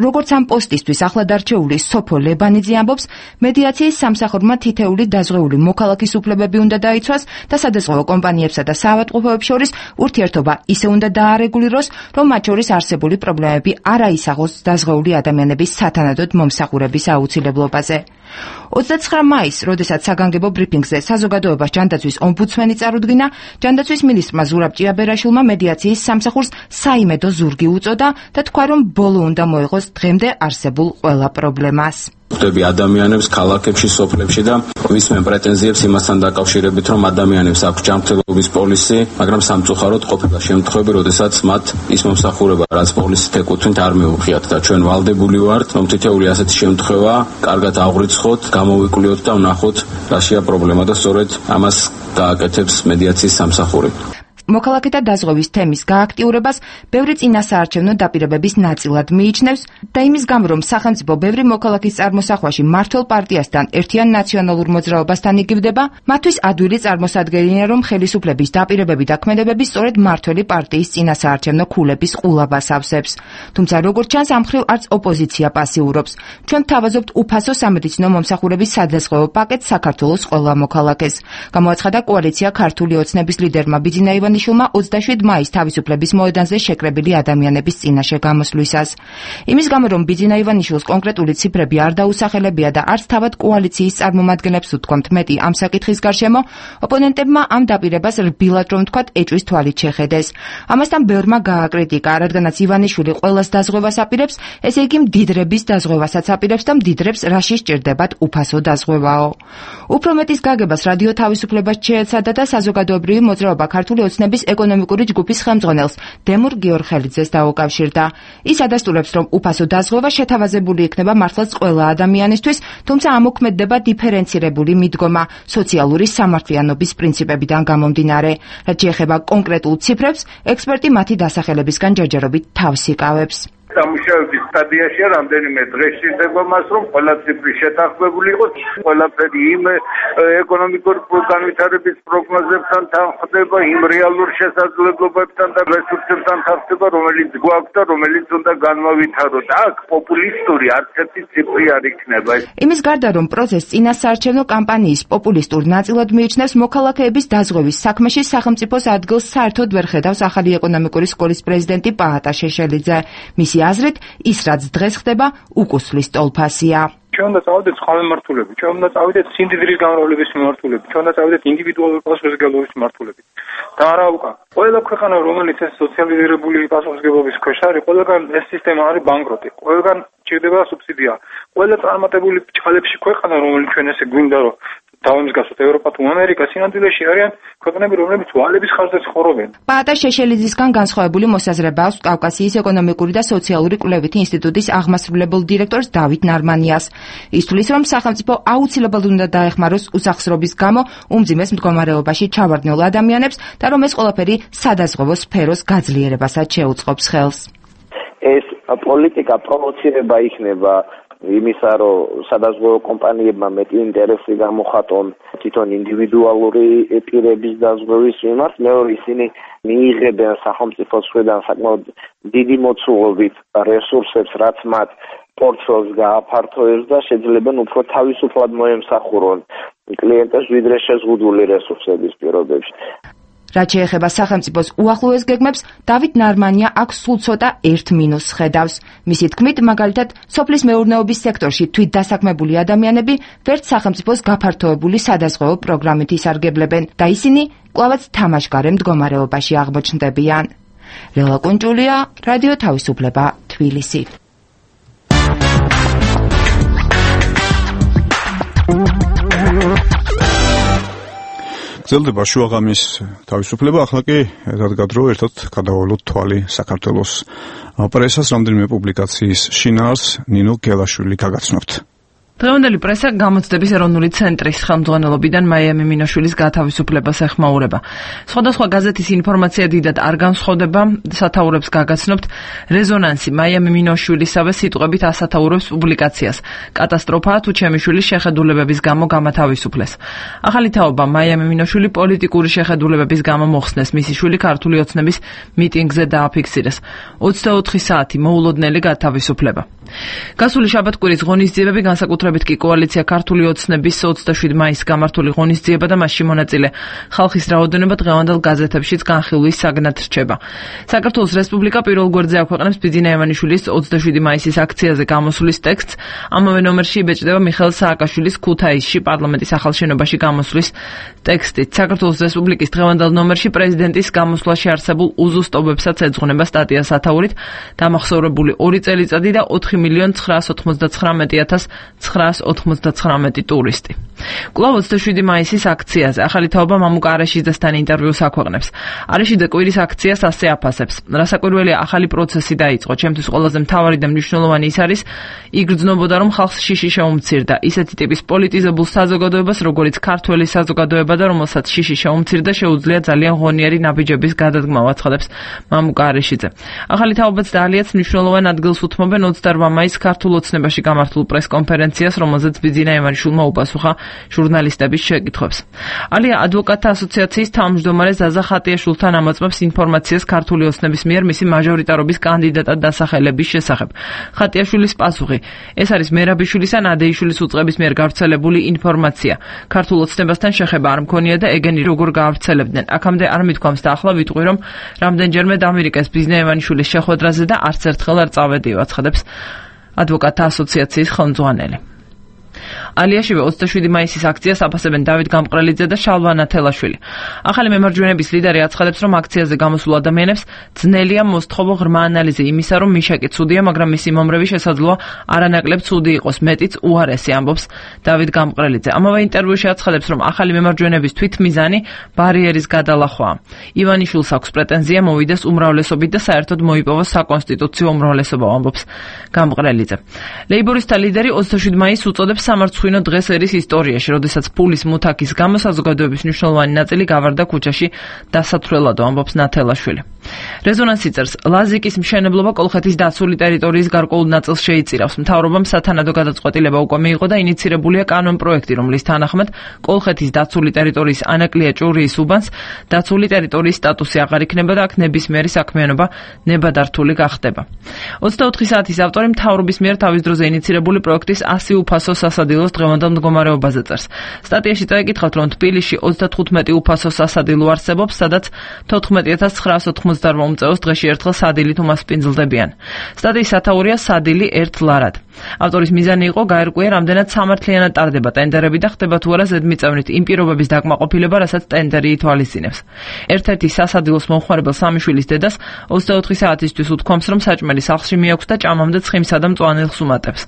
როგორც ამ პოსტისთვის ახლად არჩეული სოფო ლებანიძე ამბობს, მედიაციის სამსახურმა თითეული დაზღვეული მოქალაქის უფლებები უნდა დაიცვას და სადაზღვევო კომპანიებსა და საავადმყოფოებს შორის ურთიერთობა ისე უნდა დაარეგულიროს, რომ მათ შორის არსებული პრობლემები არ აისახოს დაზღვეული ადამიანების სათანადოდ მომსახურების აუცილებლობაზე. ოცდაცხრა მაისს, როდესაც საგანგებო ბრიფინგზე საზოგადოებას ჯანდაცვის ომბუდსმენი წარუდგინა, ჯანდაცვის მინისტრმა ზურაბ ჭიაბერაშვილმა მედიაციის სამსახურს საიმედო ზურგი უწოდა და თქვა, რომ ბოლო უნდა მოეღოს დღემდე არსებულ ყველა პრობლემას. ხვდები ადამიანებს ქალაქებში, სოფლებში და ვისმენ პრეტენზიებს იმასთან დაკავშირებით, რომ ადამიანებს აქვს ჯანმრთელობის პოლისი, მაგრამ სამწუხაროდ ყოფილა შემთხვევები, როდესაც მათ ის მომსახურება, რაც პოლისით ეკუთვნით, არ მეუღიათ და ჩვენ ვალდებული ვართ, რომ თითოეული ასეთი შემთხვევა კარგად აღვრიცხოთ, გამოვიკვლიოთ და ვნახოთ, რაშია პრობლემა და სწორედ ამას გააკეთებს მედიაციის სამსახური. მოქალაქეთა დაზღვევის თემის გააქტიურებას ბევრი წინასაარჩევნო დაპირებების ნაწილად მიიჩნევს და იმის გამო, რომ სახელმწიფო ბევრი მოქალაქის წარმოსახვაში მმართველ პარტიასთან ერთიან ნაციონალურ მოძრაობასთან იგივდება, მათთვის ადვილი წარმოსადგენია, რომ ხელისუფლების დაპირებები და ქმედებები სწორედ მმართველი პარტიის წინასაარჩევნო ქულების ყულაბას ავსებს. თუმცა როგორც ჩანს, ამ მხრივ არც ოპოზიცია პასიურობს. ჩვენ ვთავაზობთ უფასო სამედიცინო მომსახურების სადაზღვევო პაკეტს საქართველოს ყველა მოქალაქეს. გამოაცხადა კოალიცია ქართული ოცნების ლიდერმა ბიძინა ივანიშვილმა ოცდაშვიდ მაისს თავისუფლების მოედანზე შეკრებილი ადამიანების წინაშე გამოსვლისას. იმის გამო, რომ ბიძინა ივანიშვილს კონკრეტული ციფრები არ დაუსახელებია და არც თავად კოალიციის წარმომადგენლებს უთქვამთ მეტი ამ საკითხის გარშემო, ოპონენტებმა ამ დაპირებას რბილად რომ ვთქვათ ეჭვის თვალით შეხედეს. ამასთან ბევრმა გააკრიტიკა, რადგანაც ივანიშვილი ყველას დაზღვევას აპირებს, ესე იგი მდიდრების დაზღვევასაც აპირებს და მდიდრებს რაში სჭირდებათ უფასო დაზღვევაო. უფრო მეტის გაგებას რადიო თავისუფლებას შეეცადა და საზოგადოებრივი მოძრაობა ქართული ოცნების ეკონომიკური ჯგუფის ხელმძღვანელს დემურ გიორხელიძეს დაუკავშირდა. ის ადასტურებს, რომ უფასო დაზღვევა შეთავაზებული იქნება მართლაც ყველა ადამიანისთვის, თუმცა ამოქმედდება დიფერენცირებული მიდგომა სოციალური სამართლიანობის პრინციპებიდან გამომდინარე. რაც შეეხება კონკრეტულ ციფრებს, ექსპერტი მათი დასახელებისგან ჯერჯერობით თავს იკავებს. სამუშაოების სტადიაში რამდენიმე დღეს შეიძლება მას, რომ ყველა ციფრი შეთანხმებული იყოს, ყველაფერი იმ ეკონომიკური განვითარების პროგნოზებთან თანხმდება, იმ რეალურ შესაძლებლობებთან და რესურსებთან თანხმდება, რომელიც გვაქვს და რომელიც უნდა განმავითაროთ. აქ პოპულისტური არც ერთი ციფრი არ იქნება. იმის გარდა, რომ პროცესს წინასაარჩევნო კამპანიის პოპულისტურ ნაწილად მიიჩნევს, მოქალაქეების დაზღვევის საქმეში სახელმწიფოს ადგილს საერთოდ ვერ ხედავს ახალი ეკონომიკური სკოლის პრეზიდენტი პაატა შეშელიძე. მისი აზრით, ის რაც დღეს ხდება, უკუსლის ტოლფასია. ჩვენ უნდა წავიდეთ წყალმმართველები, ჩვენ უნდა წავიდეთ სიმდიდრის გამრავლების მიმართულებით, ჩვენ უნდა წავიდეთ ინდივიდუალური პასუხისმგებლობის მიმართულებით. და არა უკან. ყველა ქვეყანა, რომელიც ეს სოციალიზირებული პასუხისმგებლობის ქვეშ არის, ყველგან ეს სისტემა არის ბანკროტი. ყველგან ჭირდება სუბსიდია. ყველა წარმატებული ჭალებში ქვეყანა, რომელიც ჩვენ ესე გვინდა, რომ დავემსგავსოთ ევროპა თუ ამერიკა, სინამდვილეში არიან ქვეყნები, რომლებიც ვალების ხარჯზე ცხოვრობენ. პაატა შეშელიძისგან განსხვავებული მოსაზრება აქვს კავკასიის ეკონომიკური და სოციალური კვლევითი ინსტიტუტის აღმასრულებელ დირექტორს დავით ნარმანიას. ის თვლის, რომ სახელმწიფო აუცილებლად უნდა დაეხმაროს უსახსრობის გამო უმძიმეს მდგომარეობაში ჩავარდნილ ადამიანებს და რომ ეს ყველაფერი სადაზღვევო სფეროს გაძლიერებასაც შეუწყობს ხელს. ეს პოლიტიკა პროვოცირება იქნება იმისა, რომ სადაზღვევო კომპანიებმა მეტი ინტერესი გამოხატონ თვითონ ინდივიდუალური პირების დაზღვევის მიმართ, მეორე ისინი მიიღებენ სახელმწიფოს მხრიდან საკმაოდ დიდი მოცულობით რესურსებს, რაც მათ პორტფელს გააფართოებს და შეძლებენ უფრო თავისუფლად მოემსახურონ კლიენტებს, ვიდრე შეზღუდული რესურსების პირობებში. რაც შეეხება სახელმწიფოს უახლოეს გეგმებს, დავით ნარმანია აქ სულ ცოტა ერთ მინუსს ხედავს. მისი თქმით, მაგალითად, სოფლის მეურნეობის სექტორში თვით დასაქმებული ადამიანები ვერც სახელმწიფოს გაფართოებული სადაზღვევო პროგრამით ისარგებლებენ და ისინი კვლავაც თამაშგარე მდგომარეობაში აღმოჩნდებიან. ლელა კუნჭულია, რადიო თავისუფლება, თბილისი. გრძელდება შუაღამის თავისუფლება, ახლა კი რადგან დრო ერთად გადავალოთ თვალი საქართველოს პრესას, რამდენიმე პუბლიკაციის შინაარსს ნინო გელაშვილი გაგაცნობთ. დღევანდელი პრესა გამოცდების ეროვნული ცენტრის ხელმძღვანელობიდან მაია მიმინოშვილის გათავისუფლებას ეხმაურება. სხვადასხვა გაზეთის ინფორმაცია დიდად არ განსხვავდება, სათაურებს გაგაცნობთ. რეზონანსი მაია მიმინოშვილისავე სიტყვებით ასათაურებს პუბლიკაციას. კატასტროფაა თუ ჩემი შვილის შეხედულებების გამო გამათავისუფლეს. ახალი თაობა მაია მიმინოშვილი პოლიტიკური შეხედულებების გამო მოხსნეს. მისი შვილი ქართული ოცნების მიტინგზე დააფიქსირეს. ოცდაოთხი საათი მოულოდნელი გათავისუფლება. გასული შაბათ-კვირის ღონისძიებები, განსაკუთრებით კი კოალიცია ქართული ოცნების ოცდაშვიდი მაისს გამართული ღონისძიება და მასში მონაწილე ხალხის რაოდენობა დღევანდელ გაზეთებშიც განხილვის საგნად რჩება. საქართველოს რესპუბლიკა პირველ გვერდზე აქვეყნებს ბიძინა ივანიშვილის ოცდაშვიდი მაისის აქციაზე გამოსulis ტექსტს. ამავე ნომერში იბეჭდება მიხეილ სააკაშვილის ქუთაისში პარლამენტის ახალ შენობაში გამოსulis ტექსტით. საქართველოს რესპუბლიკის დღევანდელ ნომერში პრეზიდენტის გამოსვლაში არსებულ უზუსტობებსაც ეძღვნება სტატია სათაურით, დამახსოვრებული ორი წელიწადი და ოთხი მილიონ ცხრაას ოცდაათი ათას ცხრაას ოცდაათი ტურისტი. კვლავ ოცდაშვიდი მაისის აქციაზე ახალი თაობა მამუკა არაშიძესთან ინტერვიუს აქვეყნებს. არაშიძე კვირის აქციას ასე აფასებს. რასაკვირველია, ახალი პროცესი დაიწყო. ჩემთვის ყველაზე მთავარი და მნიშვნელოვანი ის არის, იგრძნობოდა რომ ხალხს შიში შეუმცირდა. ისეთი ტიპის პოლიტიზებულ საზოგადოებას, როგორიც ქართველი საზოგადოება და რომელსაც შიში შეუმცირდა, შეუძლია ძალიან ღონიერი ნაბიჯების გადადგმა, აცხადებს მამუკა არაშიძე. ახალი თაობაც და ალიაც მნიშვნელოვან ადგილს უთმობენ ოცდაოთხ მაისს ქართულ ოცნებაში გამართულ პრესკონფერენციას, რომელზეც ბიძინა ივანიშვილმა უპასუხა ჟურნალისტების შეკითხვებს. ალია ადვოკატთა ასოციაციის თავმჯდომარე ზაზა ხატიაშვილთან ამოწმებს ინფორმაციას ქართული ოცნების მიერ მისი მაჟორიტარობის კანდიდატად დასახელების შესახებ. ხატიაშვილის პასუხი: ეს არის მერაბიშვილის ან ადეიშვილის უწყების მიერ გავრცელებული ინფორმაცია. ქართულ ოცნებასთან შეხება არ მქონია და ეგენი როგორ გაავრცელებდნენ. აქამდე არ მithქვამს და ახლა ვიტყვი, რომ რამდენჯერმე დამირეკეს ბიძინა ივანიშვილის შეხვედრაზე და არც ერთხელ არ წავედიო, აცხადებს ადვოკატთა ასოციაციის ხელმძღვანელი. ალიაშივე ოცდაშვიდი მაისის აქციას აფასებენ დავით გამყრელიძე და შალვა ნათელაშვილი. ახალი მემარჯვენების ლიდერი აცხადებს, რომ აქციაზე გამოსულ ადამიანებს ძნელია მოსთხოვო ღრმა ანალიზი იმისა, რომ მიშაკი ცუდია, მაგრამ მისი მომრევი შესაძლოა არანაკლებ ცუდი იყოს, მეტიც უარესი, ამბობს დავით გამყრელიძე. ამავე ინტერვიუში აცხადებს, რომ ახალი მემარჯვენების თვითმიზანი ბარიერის გადალახვაა. ივანიშვილს აქვს პრეტენზია მოვიდეს უმრავლესობით და საერთოდ მოიპოვოს საკონსტიტუციო უმრავლესობა, ამბობს გამყრელიძე. ლეიბორისტთა ლიდერი ოცდაშვიდი მაისს უწოდებს სამარცხვინო დღეს ერის ისტორიაში, როდესაც ფულის მუთაქის გამო საზოგადოების მნიშვნელოვანი ნაწილი გავარდა ქუჩაში დასათვლელადო, ამბობს ნათელაშვილი. რეზონანსი წერს, ლაზიკის მშენებლობა კოლხეთის დაცული ტერიტორიის გარკვეულ ნაწილს შეიწირავს. მთავრობამ სათანადო გადაწყვეტილება უკვე მიიღო და ინიცირებულია კანონპროექტი, რომლის თანახმად კოლხეთის დაცული ტერიტორიის ანაკლია ჭურიის უბანს დაცული ტერიტორიის სტატუსი აღარ იქნება და აქ ნებისმიერი საქმიანობა ნებადართული გახდება. ოცდაოთხი საათის ავტორი მთავრობის მიერ თავის დროზე ინიცირებული პროექტის ასი უფასო სასადილოს დღევანდელ მდგომარეობაზე წერს. სტატიაში წაიკითხავთ, რომ თბილისში ოცდათხუთმეტი უფასო სასადილო არსებობს, სადაც თოთხმეტი ათას ცხრაას ოცდაოთხმოცდაოთხ მომწეოს დღეში ერთხელ სადილით უმასპინძლდებიან. სტატიის სათაურია სადილი ერთ ლარად. ავტორის მიზანი იყო გაერკვია, რამდენად სამართლიანად ტარდება ტენდერები და ხდება თუ არა ზედმიწევნით იმ პირობების დაკმაყოფილება, რასაც ტენდერი ითვალისწინებს. ერთ-ერთი სასადილოს მომხმარებელ სამიშვილის დედას ოცდაოთხი საათისთვის უთქვამს, რომ საჭმელი სახლში მიაქვს და ჭამამდე ცხიმსა და მწვანილს უმატებს.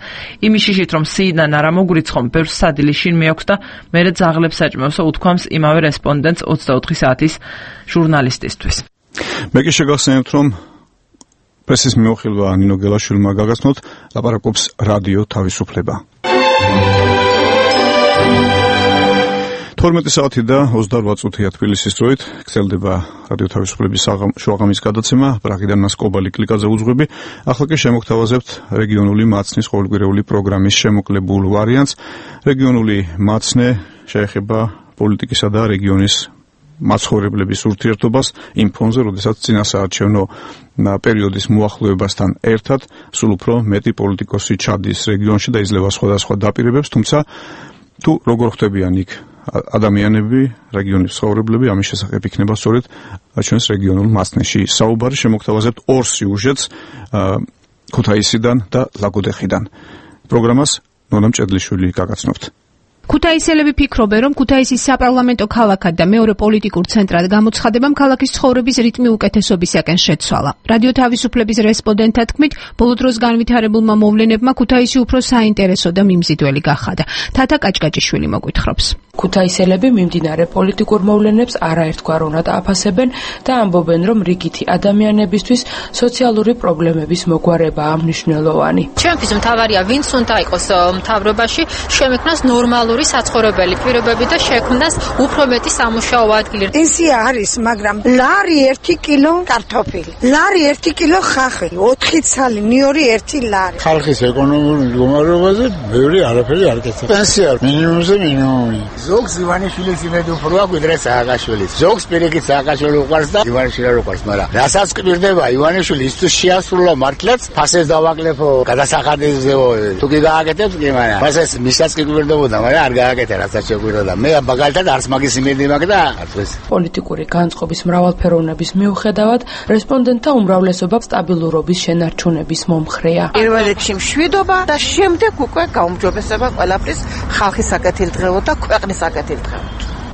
იმის შიშით, რომ სიიდან არ ამოგვრიცხომ, ბევრს სადილი შინ მიაქვს და მერე ძაღლებს საჭმევსო, უთქვამს იმავე რესპონდენტს ოცდაოთხი საათის ჟურნალისტისთვის. მე კი შეგახსენებთ, რომ პრესის მეუხილვა ნინო გელაშვილმა გაგაცნოთ, ლაპარაკობს რადიო თავისუფლება. თორმეტი საათი და ოცდაოთხ წუთია თბილისის დროით, გრძელდება რადიო თავისუფლების შუაღამის გადაცემა, ბრაღიდან ნასკობალი კლიკაზე უძღვები. ახლა კი შემოგთავაზებთ რეგიონული მაცნის ყოველკვირეული პროგრამის შემოკლებულ ვარიანტს. რეგიონული მაცნე შეეხება პოლიტიკისა და რეგიონის მაცხოვრებლების ურთიერთობას იმ ფონზე, როდესაც წინასაარჩევნო პერიოდის მოახლოებასთან ერთად სულ უფრო მეტი პოლიტიკოსი ჩადის რეგიონში და იძლევა სხვადასხვა დაპირებებს, თუმცა თუ როგორ ხდებიან იქ ადამიანები, რეგიონის ცხოვრებლები, ამის შესახებ იქნება სწორედ ჩვენს რეგიონულ მაცნეში საუბარი. შემოგთავაზებთ ორ სიუჟეტს ქუთაისიდან და ლაგოდეხიდან. პროგრამას ნონა მჭედლიშვილი გაგაცნობთ. ქუთაისელები ფიქრობენ, რომ ქუთაისის საპარლამენტო ქალაქად და მეორე პოლიტიკურ ცენტრად გამოცხადებამ ქალაქის ცხოვრების რიტმი უკეთესობისაკენ შეცვალა. რადიო თავისუფლების რესპონდენტთა თქმით, ბოლო დროს განვითარებულმა მოვლენებმა ქუთაისი უფრო საინტერესო და მიმზიდველი გახადა. თათა კაჭკაჭიშვილი მოგვითხრობს. ქუთაისელები მიმდინარე პოლიტიკურ მოვლენებს არაერთგვაროვნად აფასებენ და ამბობენ, რომ რიგითი ადამიანებისთვის სოციალური პრობლემების მოგვარებაა მნიშვნელოვანი. ჩვენთვის მთავარია, ვინც უნდა იყოს მთავრობაში, შემექმნას ნორმალური საცხოვრებელი პირობები და შექმნას უფრო მეტი სამუშაო ადგილი. პენსია არის, მაგრამ ლარი ერთი კილო კარტოფილი, ლარი ერთი კილო ხახი, ოთხი ცალი, ნიორი ერთი ლარი. ხალხის ეკონომიკური მდგომარეობაზე ბევრი არაფერი არ კეთდება. პენსია მინიმუმზე მინიმუმი. ზოგს ივანიშვილის იმედი უფრო აქვს, ვიდრე სააკაშვილის. ზოგს პირიქით სააკაშვილი უყვარს და ივანიშვილი არ უყვარს, მაგრამ რასაც კვირდება ივანიშვილი ის შეასრულა მართლაც ფასეს დავაკლებო გადასახადებზეო. თუ კი გააკეთებს კი მაგრამ ფასეს მისაც კი კვირდებოდა, მაგრამ არ გააკეთა რასაც შეგვიროდა. მე მაგალითად არც მაგის იმედი მაქვს და არც ეს. პოლიტიკური განწყობის მრავალფეროვნების მიუხედავად, რესპონდენტთა უმრავლესობა სტაბილურობის შენარჩუნების მომხრეა. პირველ რიგში მშვიდობა და შემდეგ უკვე გაუმჯობესება ყველაფრის ხალხის საკეთილდღეო და ქვეყნის საკეთილდღეო.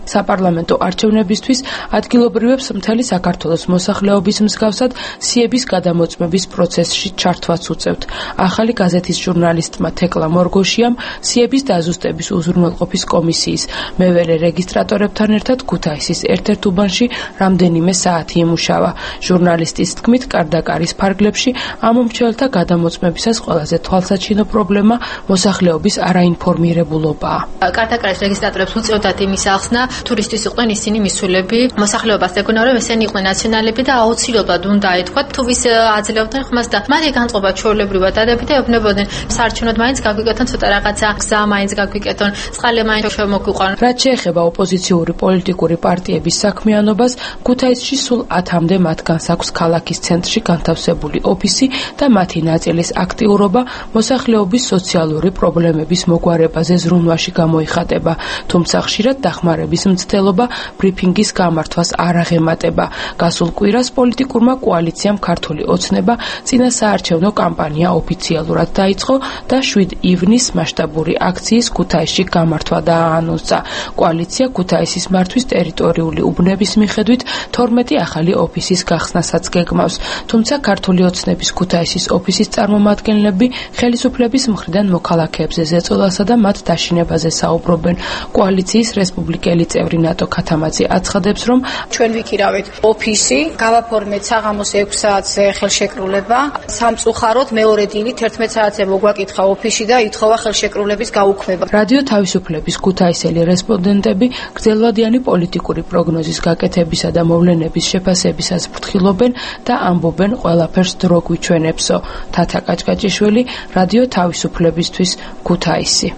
საპარლამენტო არჩევნებისთვის ადგილობრივებს მთელი საქართველოს მოსახლეობის მსგავსად სიების გადამოწმების პროცესში ჩართვაც უწევთ. ახალი გაზეთის ჟურნალისტმა თეკლა მორგოშიამ სიების დაზუსტების უზრუნველყოფის კომისიის მევერე რეგისტრატორებთან ერთად ქუთაისის ერთ-ერთ უბანში რამდენიმე საათი იმუშავა. ჟურნალისტის თქმით, კარდაკარის ფარგლებში ამომრჩეველთა გადამოწმებისას ყველაზე თვალსაჩინო პრობლემა მოსახლეობის არაინფორმირებულობაა. კარდაკარის რეგისტრატორებს უწევდათ იმის ახსნა, თურისტის იყვნენ ისინი მისულები, მოსახლეობას ეგონა რომ ესენი იყვნენ ნაციონალები და აუცილებლად უნდა ეთქვათ თუ ვის აძლევდნენ ხმას და მათი განწყობა ჩვეულებრივად დადებითი ეუბნებოდნენ სარჩენოდ მაინც გაგვიკეთონ ცოტა რაღაცა გზა მაინც გაგვიკეთონ წყალი მაინც შემოგვიყვანონ. რაც შეეხება ოპოზიციური პოლიტიკური პარტიების საქმიანობას, ქუთაისში სულ ათამდე მათგანს აქვს ქალაქის ცენტრში განთავსებული ოფისი და მათი ნაწილის აქტიურობა მოსახლეობის სოციალური პრობლემების მოგვარებაზე ზრუნვაში გამოიხატება, თუმცა ხშირად დახმარების მცდელობა ბრიფინგის გამართვას არ აღემატება. გასულ კვირას პოლიტიკურმა კოალიციამ ქართული ოცნება წინასაარჩევნო კამპანია ოფიციალურად დაიწყო და შვიდ ივნის მასშტაბური აქციის ქუთაისში გამართვა დააანონსა. კოალიცია ქუთაისის მართვის ტერიტორიული უბნების მიხედვით თორმეტი ახალი ოფისის გახსნასაც გეგმავს. თუმცა ქართული ოცნების ქუთაისის ოფისის წარმომადგენლები ხელისუფლების მხრიდან მოქალაქეებზე ზეწოლასა და მათ დაშინებაზე საუბრობენ. კოალიციის რესპუბლიკელი წევრი ნატო ქათამაძე აცხადებს, რომ ჩვენ ვიქირავეთ ოფისი, გავაფორმეთ საღამოს ექვს საათზე ხელშეკრულება, სამწუხაროდ მეორე დილით ერთმეტ საათზე მოგვაკითხა ოფისი და ითხოვა ხელშეკრულების გაუქმება. რადიო თავისუფლების ქუთაისელი რესპონდენტები გრძელვადიანი პოლიტიკური პროგნოზის გაკეთებისა და მოვლენების შეფასებისას ფრთხილობენ და ამბობენ ყველაფერს დრო გვიჩვენებსო. თათა კაჭკაჭიშვილი, რადიო თავისუფლებისთვის, ქუთაისი.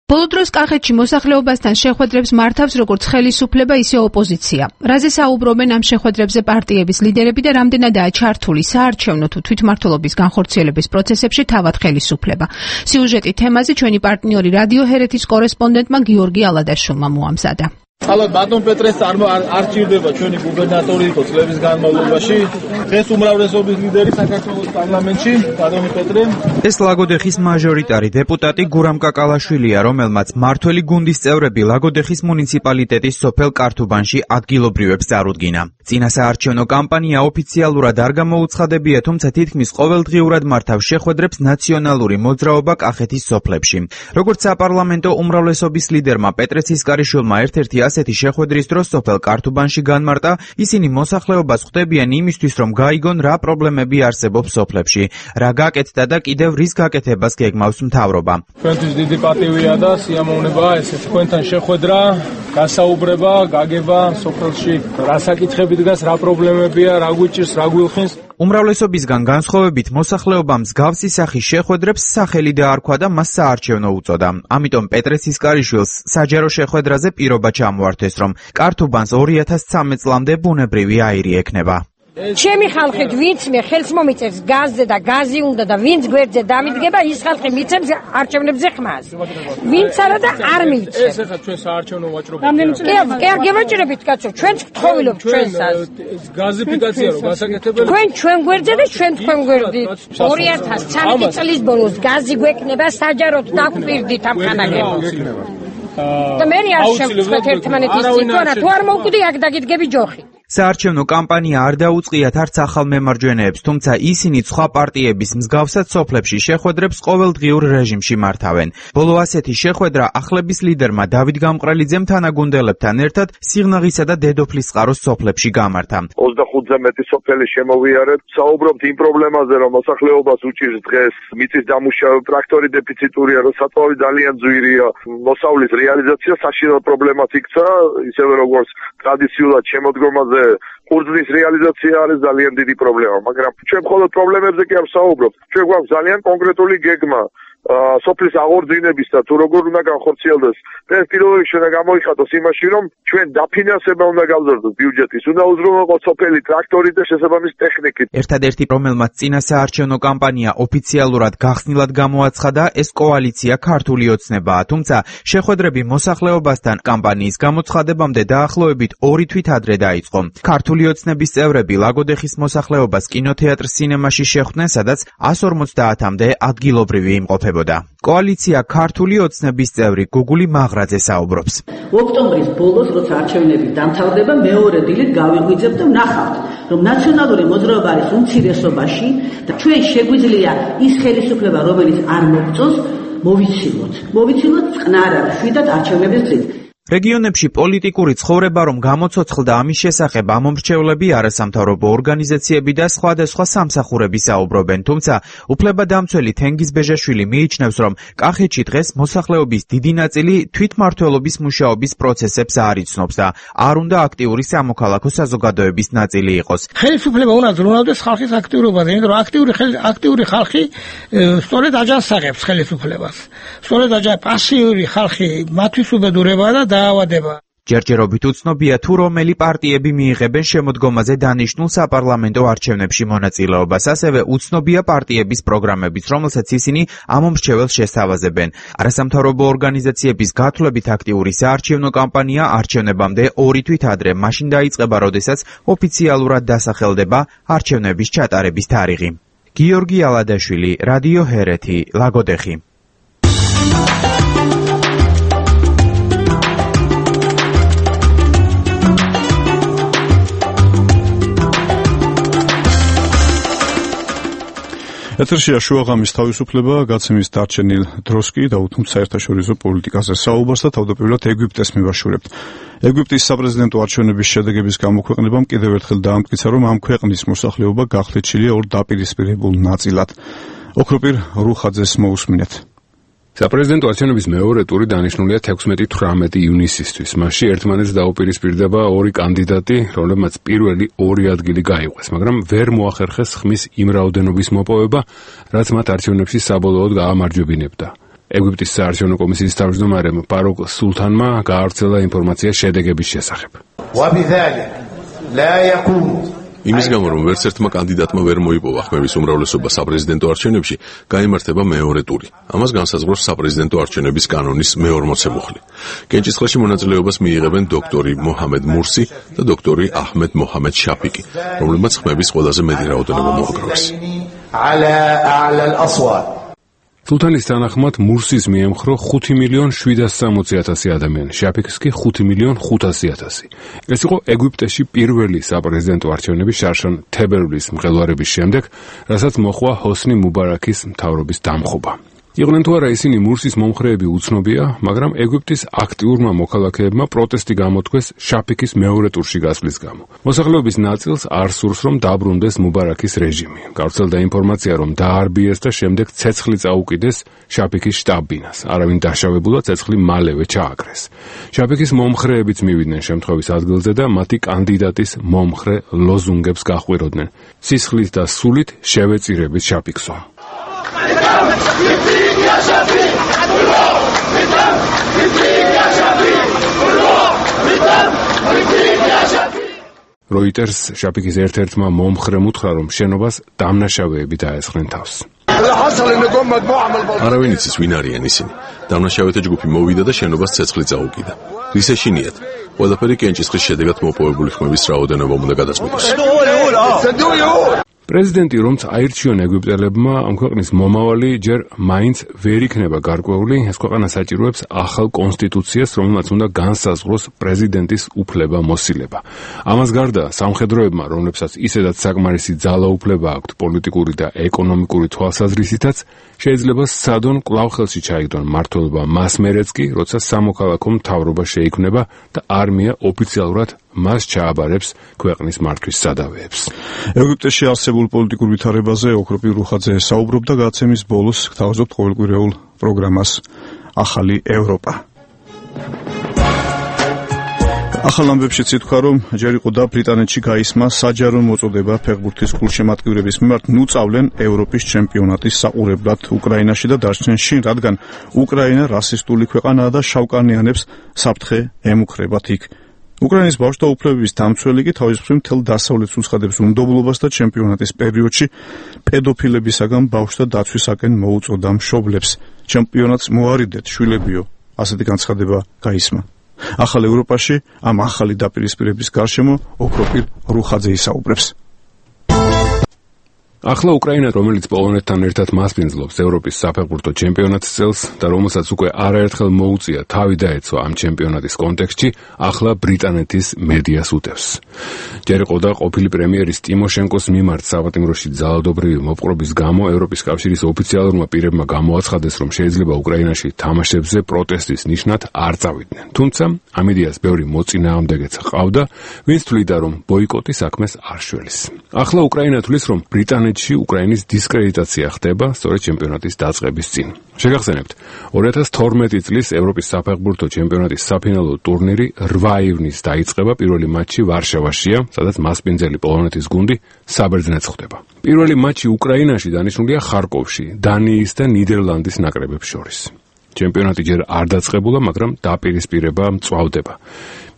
ბოლო დროს კახეთში მოსახლეობასთან შეხვედრებს მართავს როგორც ხელისუფლება, ისე ოპოზიცია. რაზე საუბრობენ ამ შეხვედრებზე პარტიების ლიდერები და რამდენადაა ჩართული საარჩევნო თუ თვითმმართველობის განხორციელების პროცესებში თავად ხელისუფლება. სიუჟეტი თემაზე ჩვენი პარტნიორი რადიო ჰერეთის კორესპონდენტმა გიორგი ალადაშვილმა მოამზადა. ალბათ ბატონ პეტრეს წარმო არ ჭირდება ჩვენი გუბერნატორი იყო წლების განმავლობაში. დღეს უმრავლესობის ლიდერი საქართველოს პარლამენტში, ბატონი პეტრე. ეს ლაგოდეხის მაჟორიტარი დეპუტატი გურამ კაკალაშვილია, რომელმაც მართველი გუნდის წევრები ლაგოდეხის მუნიციპალიტეტის სოფელ კართუბანში ადგილობრივებს წარუდგინა. წინასაარჩევნო კამპანია ოფიციალურად არ გამოუცხადებია, თუმცა თითქმის ყოველდღიურად მართავს შეხვედრებს ნაციონალური მოძრაობა კახეთის სოფლებში. როგორც საპარლამენტო უმრავლესობის ლიდერმა პეტრე ცისკარიშვილმა ერთ-ერთი ასეთი შეხვედრის დროს სოფელ კართუბანში განმარტა, ისინი მოსახლეობას ხვდებიან იმისთვის, რომ გაიგონ რა პრობლემები არსებობს სოფლებში, რა გაკეთდა და კიდევ რის გაკეთებას გეგმავს მთავრობა. ჩვენთვის დიდი პატივია და სიამოვნებაა ესე თქვენთან შეხვედრა, გასაუბრება, გაგება სოფელში, რა საკითხები დგას, რა პრობლემებია, რა გვიჭირს, რა გვილხინს. უმრავლესობისგან განსხვავებით მოსახლეობამ მსგავსი სახის შეხვედრებს სახელი დაარქვა და მას საარჩევნო უწოდა. ამიტომ პეტრე ცისკარიშვილს საჯარო შეხვედრაზე პირობა ჩამოართვეს, რომ კართუბანს ორი ათას ცხრამეტ წლამდე ბუნებრივი აირი ექნება. ჩემი ხალხით ვინც მე ხელს მომიწევს გაზზე და გაზი უნდა და ვინც გვერდზე დამიდგება, ის ხალხი მიცემს არჩევნებზე ხმას. ვინც არა და არ მიცემს. ეს ახლა ჩვენ საარჩევნო ვაჭრობა. კი, არ გევაჭრებით კაცო, ჩვენც გთხოვილობთ ჩვენსაც. გაზიფიკაცია რო გასაკეთებელი. თქვენ ჩვენ გვერდზე და ჩვენ თქვენ გვერდით. ორი ათას ცხრამეტი წლის ბოლოს გაზი გვექნება, საჯაროდ დაგვპირდით ამ ხანაგებს. და მე არ შევწყვეტ ერთმანეთის თვითონ, თუ არ მოვკვდი აქ დაგიდგები ჯოხი. საარჩევნო კამპანია არ დაუწყიათ არც ახალ მემარჯვენეებს, თუმცა ისინი სხვა პარტიების მსგავსად სოფლებში შეხვედრებს ყოველდღიურ რეჟიმში მართავენ. ბოლო ასეთი შეხვედრა ახლების ლიდერმა დავით გამყრელიძემ თანაგუნდელებთან ერთად სიღნაღისა და დედოფლის წყაროს სოფლებში გამართა. ოცდახუთზე მეტი სოფელი შემოვიარეთ, საუბრობთ იმ პრობლემაზე, რომ მოსახლეობას უჭირს დღეს მიწის დამუშავება, ტრაქტორი დეფიციტურია, რომ საწვავი ძალიან ძვირია, მოსავლის რეალიზაცია საშინელ პრობლემას იქცა, ისევე როგორც ტრადიციულად შემოდგომაზე ყურძნის რეალიზაცია არის ძალიან დიდი პრობლემა, მაგრამ ჩვენ მხოლოდ პრობლემებზე კი არ ვსაუბრობთ. ჩვენ გვაქვს ძალიან კონკრეტული გეგმა სოფლის აღორძინების და თუ როგორ უნდა განხორციელდეს. ეს პირველ რიგში უნდა გამოიხატოს იმაში, რომ ჩვენ დაფინანსება უნდა გავზარდოთ ბიუჯეტის, უნდა უზრუნველყოთ სოფელი ტრაქტორით და შესაბამის ტექნიკით. ერთადერთი, რომელმაც წინა საარჩევნო კამპანია ოფიციალურად გახსნილად გამოაცხადა, ეს კოალიცია ქართული ოცნებაა, თუმცა შეხვედრები მოსახლეობასთან კამპანიის გამოცხადებამდე დაახლოებით ორი თვით ადრე დაიწყო. ქართული ოცნების წევრები ლაგოდეხის მოსახლეობას კინოთეატრ სინემაში შეხვდნენ, სადაც εκατს ორმოცდაათამდე ადგილობრივი იმყოფებოდა. კოალიცია ქართული ოცნების წევრი გუგული მაღრაძე საუბრობს. ოქტომბრის ბოლოს, როცა არჩევნები დამთავრდება, მეორე დილით გავიღვიძებთ და ვნახავთ, რომ ნაციონალური მოძრაობა არის უმცირესობაში და ჩვენ შეგვიძლია ის ხელისუფლება, რომელიც არ მოგწონს, მოვიცილოთ. მოვიცილოთ წყნარად, შვიდად არჩევნების დღით. რეგიონებში პოლიტიკური ცხოვრება რომ გამოცოცხლდა, ამის შესახებ ამომრჩევლები, არასამთავრობო ორგანიზაციები და სხვადასხვა სამსახურები საუბრობენ, თუმცა უფლებადამცველი თენგიზ ბეჟაშვილი მიიჩნევს, რომ კახეთში დღეს მოსახლეობის დიდი ნაწილი თვითმმართველობის მუშაობის პროცესებს არ იცნობს და არ უნდა აქტიური სამოქალაქო საზოგადოების ნაწილი იყოს. ხელისუფლება უნდა ზრუნავდეს ხალხის აქტიურობაზე, იმიტომ რომ აქტიური აქტიური ხალხი სწორედ აჯანსაღებს ხელისუფლებას. სწორედ აჯანსაღებს პასიური ხალხი მათთვის უბედურება და დაავადება. ჯერჯერობით უცნობია თუ რომელი პარტიები მიიღებენ შემოდგომაზე დანიშნულ საპარლამენტო არჩევნებში მონაწილეობას, ასევე უცნობია პარტიების პროგრამებიც, რომელსაც ისინი ამომრჩეველს შესთავაზებენ. არასამთავრობო ორგანიზაციების გათვლებით აქტიური საარჩევნო კამპანია არჩევნებამდე ორი თვით ადრე, მაშინ დაიწყება, როდესაც ოფიციალურად დასახელდება არჩევნების ჩატარების თარიღი. გიორგი ალადაშვილი, რადიო ჰერეთი, ლაგოდეხი. ეთერშია შუაღამის თავისუფლება, გაცემის დარჩენილ დროს კი დაუთმობთ საერთაშორისო პოლიტიკაზე საუბარს და თავდაპირველად ეგვიპტეს მივაშურებთ. ეგვიპტის საპრეზიდენტო არჩევნების შედეგების გამოქვეყნებამ კიდევ ერთხელ დაამტკიცა, რომ ამ ქვეყნის მოსახლეობა გახლიჩილია ორ დაპირისპირებულ ნაწილად. ოქროპირ რუხაძეს მოусმინეთ. საპრეზიდენტო არჩევნების მეორე ტური დანიშნულია თექვსმეტი თვრამეტი ივნისისთვის. მასში ერთმანეთს დაუპირისპირდება ორი კანდიდატი, რომლებმაც პირველი ორი ადგილი გაიყვეს, მაგრამ ვერ მოახერხეს ხმის იმ რაოდენობის მოპოვება, რაც მათ არჩევნებში საბოლოოდ გაამარჯვებინებდა. ეგვიპტის საარჩევნო კომისიის თავმჯდომარემ ფაროკ სულთანმა გაავრცელა ინფორმაცია შედეგების შესახებ. იმის გამო, რომ ვერც ერთმა კანდიდატმა ვერ მოიპოვა ხმების უმრავლესობა საპრეზიდენტო არჩევნებში, გაიმართება მეორე ტური. ამას განსაზღვრავს საპრეზიდენტო არჩევნების კანონის მეორმოცე-მუხლი. კენჭისყრაში მონაწილეობას მიიღებენ დოქტორი მოჰამედ მურსი და დოქტორი აჰმედ მოჰამედ შაფიკი, რომლებმაც ხმების ყველაზე მეტი რაოდენობა მოაგროვეს. სულთანის თანახმად მურსის მიემხრო ხუთი მილიონ შვიდას სამოცი ათასი ადამიანი, შაფიქს კი ხუთი მილიონ ხუთასი ათასი. ეს იყო ეგვიპტეში პირველი საპრეზიდენტო არჩევნები შარშან თებერვლის მღელვარების შემდეგ, რასაც მოჰყვა ჰოსნი მუბარაქის მთავრობის დამხობა. იყვნენ თუ არა ისინი მურსის მომხრეები უცნობია, მაგრამ ეგვიპტის აქტიურმა მოქალაქეებმა პროტესტი გამოთქვეს შაფიქის მეორე ტურში გასვლის გამო. მოსახლეობის ნაწილს არ სურს, რომ დაბრუნდეს მუბარაქის რეჟიმი. გავრცელდა ინფორმაცია, რომ დაარბიეს და შემდეგ ცეცხლი წაუკიდეს შაფიქის შტაბ-ბინას. არავინ დაშავებულა, ცეცხლი მალევე ჩააკრეს. შაფიქის მომხრეებიც მივიდნენ შემთხვევის ადგილზე და მათი კანდიდატის მომხრე ლოზუნგებს გაჰყვიროდნენ. სისხლით და სულით შევეწირებით შაფიქსო. როიტერს შაფიკის ერთ-ერთმა მომხრემ უთხრა, რომ შენობას დამნაშავეები დაესხნენ თავს. არავინ იცის, ვინ არიან ისინი. დამნაშავეთა ჯგუფი მოვიდა და შენობას ცეცხლი წაუკიდა. რის ეშინიათ? ყველაფერი კენჭისყრის შედეგად მოპოვებული ხმების რაოდენობა უნდა გადაწყვეტოს. პრეზიდენტი რომც აირჩიონ ეგვიპტელებმა, ამ ქვეყნის მომავალი ჯერ მაინც ვერ იქნება გარკვეული, ეს ქვეყანა საჭიროებს ახალ კონსტიტუციას, რომელმაც უნდა განსაზღვროს პრეზიდენტის უფლება მოსილება. ამას გარდა სამხედროებმა, რომლებსაც ისედაც საკმარისი ძალაუფლება აქვთ პოლიტიკური და ეკონომიკური თვალსაზრისითაც, შეიძლება სცადონ კვლავ ხელში ჩაიგდონ მმართველობა მას მერეც კი, როცა სამოქალაქო მთავრობა შეიქმნება და არმია ოფიციალურად მას ჩააბარებს ქვეყნის მართვის სადავეებს. ეგვიპტეში არსებულ პოლიტიკურ ვითარებაზე ოქროპი რუხაძე საუბრობდა გადაცემის ბოლოს, გთავაზობთ ყოველკვირეულ პროგრამას ახალი ევროპა. ახალ ამბებშიც ითქვა, რომ ჯერ იყო და ბრიტანეთში გაისმა საჯარო მოწოდება ფეხბურთის გულშემატკივრების მიმართ ნუწავლენ ევროპის ჩემპიონატის საყურებლად უკრაინაში და დარჩნენ შინ, რადგან უკრაინა რასისტული ქვეყანაა და შავკანიანებს საფრთხე ემუქრებათ იქ. უკრაინის ბავშვთა უფლებების დამცველი კი თავის მხრივ მთელ დასავლეთს უცხადებს უნდობლობას და ჩემპიონატის პერიოდში პედოფილებისაგან ბავშვთა დაცვისაკენ მოუწოდა მშობლებს. ჩემპიონატს მოარიდეთ, შვილებიო, ასეთი განცხადება გაისმა. ახალ ევროპაში ამ ახალი დაპირისპირების გარშემო ოქროპირ რუხაძე ისაუბრებს. ახლა უკრაინა, რომელიც პოლონეთთან ერთად მასპინძლობს ევროპის საფეხბურთო ჩემპიონატის წელს და რომელსაც უკვე არაერთხელ მოუწია თავი დაეცვა ამ ჩემპიონატის კონტექსტში, ახლა ბრიტანეთის მედიას უტევს. ჯერ იყო და ყოფილი პრემიერის ტიმოშენკოს მიმართ საპატიმროში ძალადობრივი მოპყრობის გამო ევროპის კავშირის ოფიციალურმა პირებმა გამოაცხადეს, რომ შეიძლება უკრაინაში თამაშებზე პროტესტის ნიშნად არ წავიდნენ. თუმცა ამ იდეას ბევრი მოწინააღმდეგეც ჰყავდა, ვინც თვლიდა, რომ ბოიკოტი საქმეს არ შველის. ახლა უკრაინა თვლის, რომ ბრიტანეთი უკრაინის დისკრედიტაცია ხდება სწორედ ჩემპიონატის დაწყების წინ. შეგახსენებთ, ორი ათას თორმეტი წლის ევროპის საფეხბურთო ჩემპიონატის საფინალო ტურნირი რვა ივნის დაიწყება, პირველი მატჩი ვარშავაშია, სადაც მასპინძელი პოლონეთის გუნდი საბერძნეთს ხვდება. პირველი მატჩი უკრაინაში დანიშნულია ხარკოვში, დანიის და ნიდერლანდის ნაკრებებს შორის. ჩემპიონატი ჯერ არ დაწყებულა, მაგრამ დაპირისპირება მწვავდება.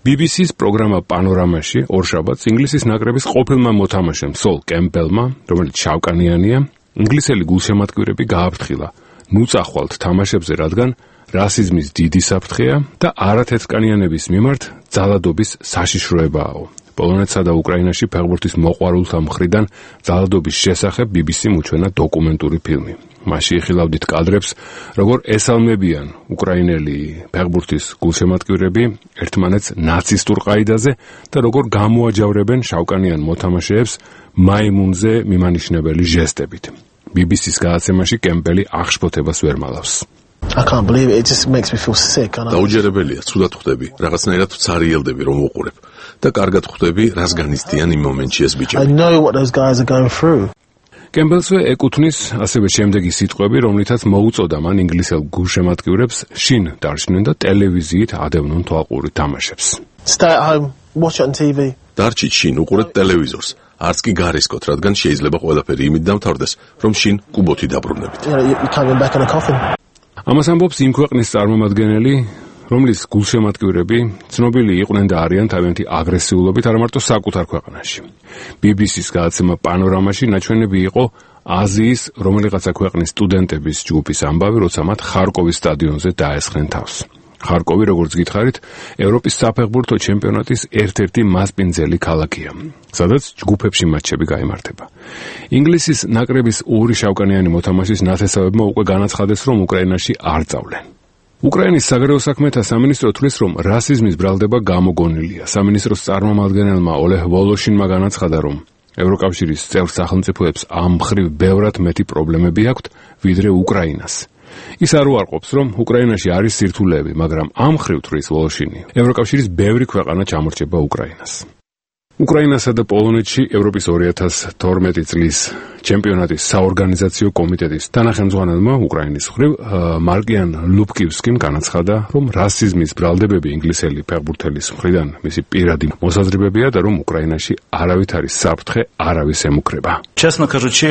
ბი ბი სის პროგრამა პანორამაში ორშაბათს ინგლისის ნაკრების ყოფილმა მოთამაშემ სოლ კემპბელმა, რომელიც შავკანიანია, ინგლისელი გულშემატკივრები გააფრთხილა ნუწახვალთ თამაშებზე, რადგან რასიზმის დიდი საფრთხეა და არათეთრკანიანების მიმართ ძალადობის საშიშროებაო. პოლონეთსა და უკრაინაში ფეხბურთის მოყვარულთა მხრიდან ძალადობის შესახებ ბი ბი სიმ უჩვენა დოკუმენტური ფილმი. მასში იხილავდით კადრებს, როგორ ესალმებიან უკრაინელი ფეხბურთის გულშემატკივრები ერთმანეთს ნაცისტურ ყაიდაზე და როგორ გამოაჯავრებენ შავკანიან მოთამაშეებს მაიმუნზე მიმანიშნებელი ჟესტებით. ბი ბი სის გადაცემაში კემპელი აღშფოთებას ვერ მალავს. I can't believe it. It just makes me feel sick. დაუჯერებელია, ცუდად ხვდები, რაღაცნაირად ცარიელდები რომ უყურებ და კარგად ხვდები, რას განიცდიან იმ მომენტში ეს ბიჭები. I know what those guys are going through. კემბელსვე ეკუთვნის ასევე შემდეგი სიტყვები, რომლითაც მოუწოდა მან ინგლისელ გულშემატკივრებს შინ დარჩნენ და ტელევიზიით ადევნონ თვალყური თამაშებს. Stay at home, watch it on T V. დარჩით შინ, უყურეთ ტელევიზორს. არც კი გარისკოთ, რადგან შეიძლება ყველაფერი იმით დამთავრდეს, რომ შინ კუბოთი დაბრუნებით. You know, you can't get back in a coffin. ამას ამბობს იმ ქვეყნის წარმომადგენელი, რომლის გულშემატკივრები ცნობილი იყვნენ და არიან თავიანთი აგრესიულობით არა მარტო საკუთარ ქვეყანაში. ბი ბი სის გადაცემა პანორამაში ნაჩვენები იყო აზიის რომელიღაცა ქვეყნის სტუდენტების ჯგუფის ამბავი, როცა მათ ხარკოვის სტადიონზე დაესხნენ თავს. ხარკოვი, როგორც გითხარით, ევროპის საფეხბურთო ჩემპიონატის ერთ-ერთი მასპინძელი ქალაქია, სადაც ჯგუფებში მატჩები გაიმართება. ინგლისის ნაკრების ორი შავკანიანი მოთამაშის ნათესავებმა უკვე განაცხადეს, რომ უკრაინაში არ წავლენ. უკრაინის საგარეო საქმეთა სამინისტრო თვლის, რომ რასიზმის ბრალდება გამოგონილია. სამინისტროს წარმომადგენელმა ოლეჰ ვოლოშინმა განაცხადა, რომ ევროკავშირის წევრ სახელმწიფოებს ამ მხრივ ბევრად მეტი პრობლემები აქვთ, ვიდრე უკრაინას. ის არ უარყოფს, რომ უკრაინაში არის სირთულეები, მაგრამ ამ მხრივ თვლის ვოლოშინი, ევროკავშირის ბევრი ქვეყანა ჩამორჩება უკრაინას. უკრაინასა და პოლონეთში ევროპის ორი ათას თორმეტი წლის ჩემპიონატის საორგანიზაციო კომიტეტის თანახმწვანელმა უკრაინის მხრივ მარკიან ლუპკივსკიმ განაცხადა, რომ რასიზმის ბრალდებები ინგლისელი ფეხბურთელის მხრიდან მისი პირადი მოსაზრებებია და რომ უკრაინაში არავითარი საფრთხე არავის ემუქრება. Честно кажучи,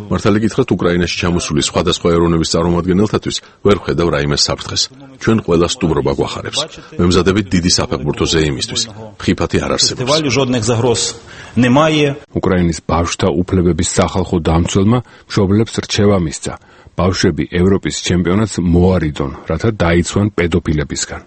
მართალი გითხრათ, უკრაინაში ჩამოსული სხვადასხვა ეროვნების წარმომადგენელთათვის ვერ ვხედავ რაიმე საფრთხეს. ჩვენ ყველა სტუმრობა გვახარებს. მემზადებით დიდი საფეხბურთო ზეიმისთვის. ხიფათი არ არსებობს. жодних загроз немає. უკრაინის ბავშვთა უფლებების სახალხო დამცველმა მშობლებს რჩევა მისცა. ბავშვები ევროპის ჩემპიონატს მოარიდონ, რათა დაიცვან პედოფილებისგან.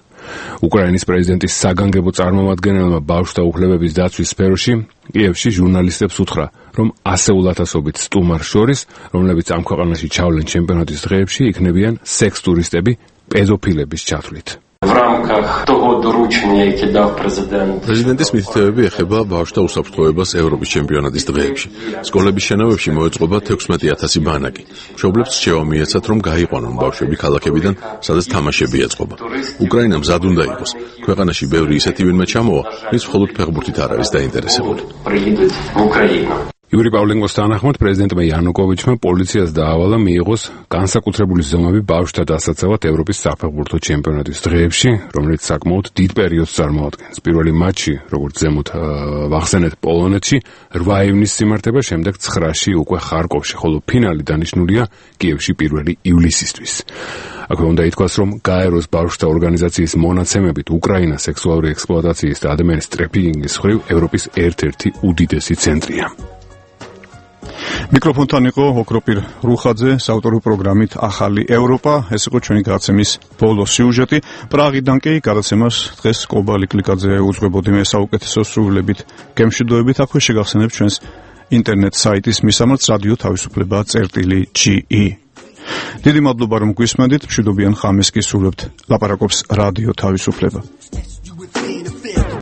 უკრაინის პრეზიდენტის საგანგებო წარმომადგენელმა ბავშვთა უფლებების დაცვის სფეროში კიევში ჟურნალისტებს უთხრა, რომ ასეულ ათასობით სტუმარს შორის, რომლებიც ამ ქვეყანაში ჩავლენ ჩემპიონატის დღეებში, იქნებიან სექს ტურისტები პედოფილების ჩათვლით. В рамках того доручення, яке дав президент. Პრეზიდენტის მითითებები ეხება ბავშვთა უსაფრთხოებას ევროპის ჩემპიონატის დღეებში. სკოლების შენობებში მოეწყობა თექვსმეტი ათასი ბანაკი. მშობლებს რჩევა მიეცათ, რომ გაიყვანონ ბავშვები ქალაქებიდან, სადაც თამაშები ეწყობა. უკრაინამ მზად უნდა იყოს. ქვეყანაში ბევრი ისეთი ვინმე ჩამოვა, ვინც მხოლოდ ფეხბურთით არ არის დაინტერესებული. იური პავლენკოს თანახმად პრეზიდენტმა იანუკოვიჩმა პოლიციას დაავალა მიიღოს განსაკუთრებული ზომები ბავშვთა დასაცავად ევროპის საფეხბურთო ჩემპიონატის დღეებში, რომელიც საკმაოდ დიდ პერიოდს წარმოადგენს. პირველი მატჩი, როგორც ზემოთ ვახსენეთ, პოლონეთში რვა ივნისს იმართება, შემდეგ ცხრაში უკვე ხარკოვში, ხოლო ფინალი დანიშნულია კიევში პირველი ივლისისთვის. აქვე უნდა ითქვას, რომ გაეროს ბავშვთა ორგანიზაციის მონაცემებით უკრაინა სექსუალური ექსპლუატაციის და ადამიანის ტრაფიკინგის მხრივ ევროპის ერთ-ერთი უდიდესი ცენტრია. მიკროფონთან იყო ოქროპირ რუხაძე საავტორო პროგრამით ახალი ევროპა. ეს იყო ჩვენი გადაცემის ბოლო სიუჟეტი. პრაღიდან კი გადაცემას დღეს კობალი კლიკაძე უძღვებოდი მე საუკეთესო სრულებით გემშვიდობებით. აქვე შეგახსენებთ ჩვენს ინტერნეტ საიტის მისამართს რადიო თავისუფლება წერტილი ჯი ი. დიდი მადლობა რომ გვისმენთ. მშვიდობიან ხამეს გისურვებთ. ლაპარაკობს რადიო თავისუფლება.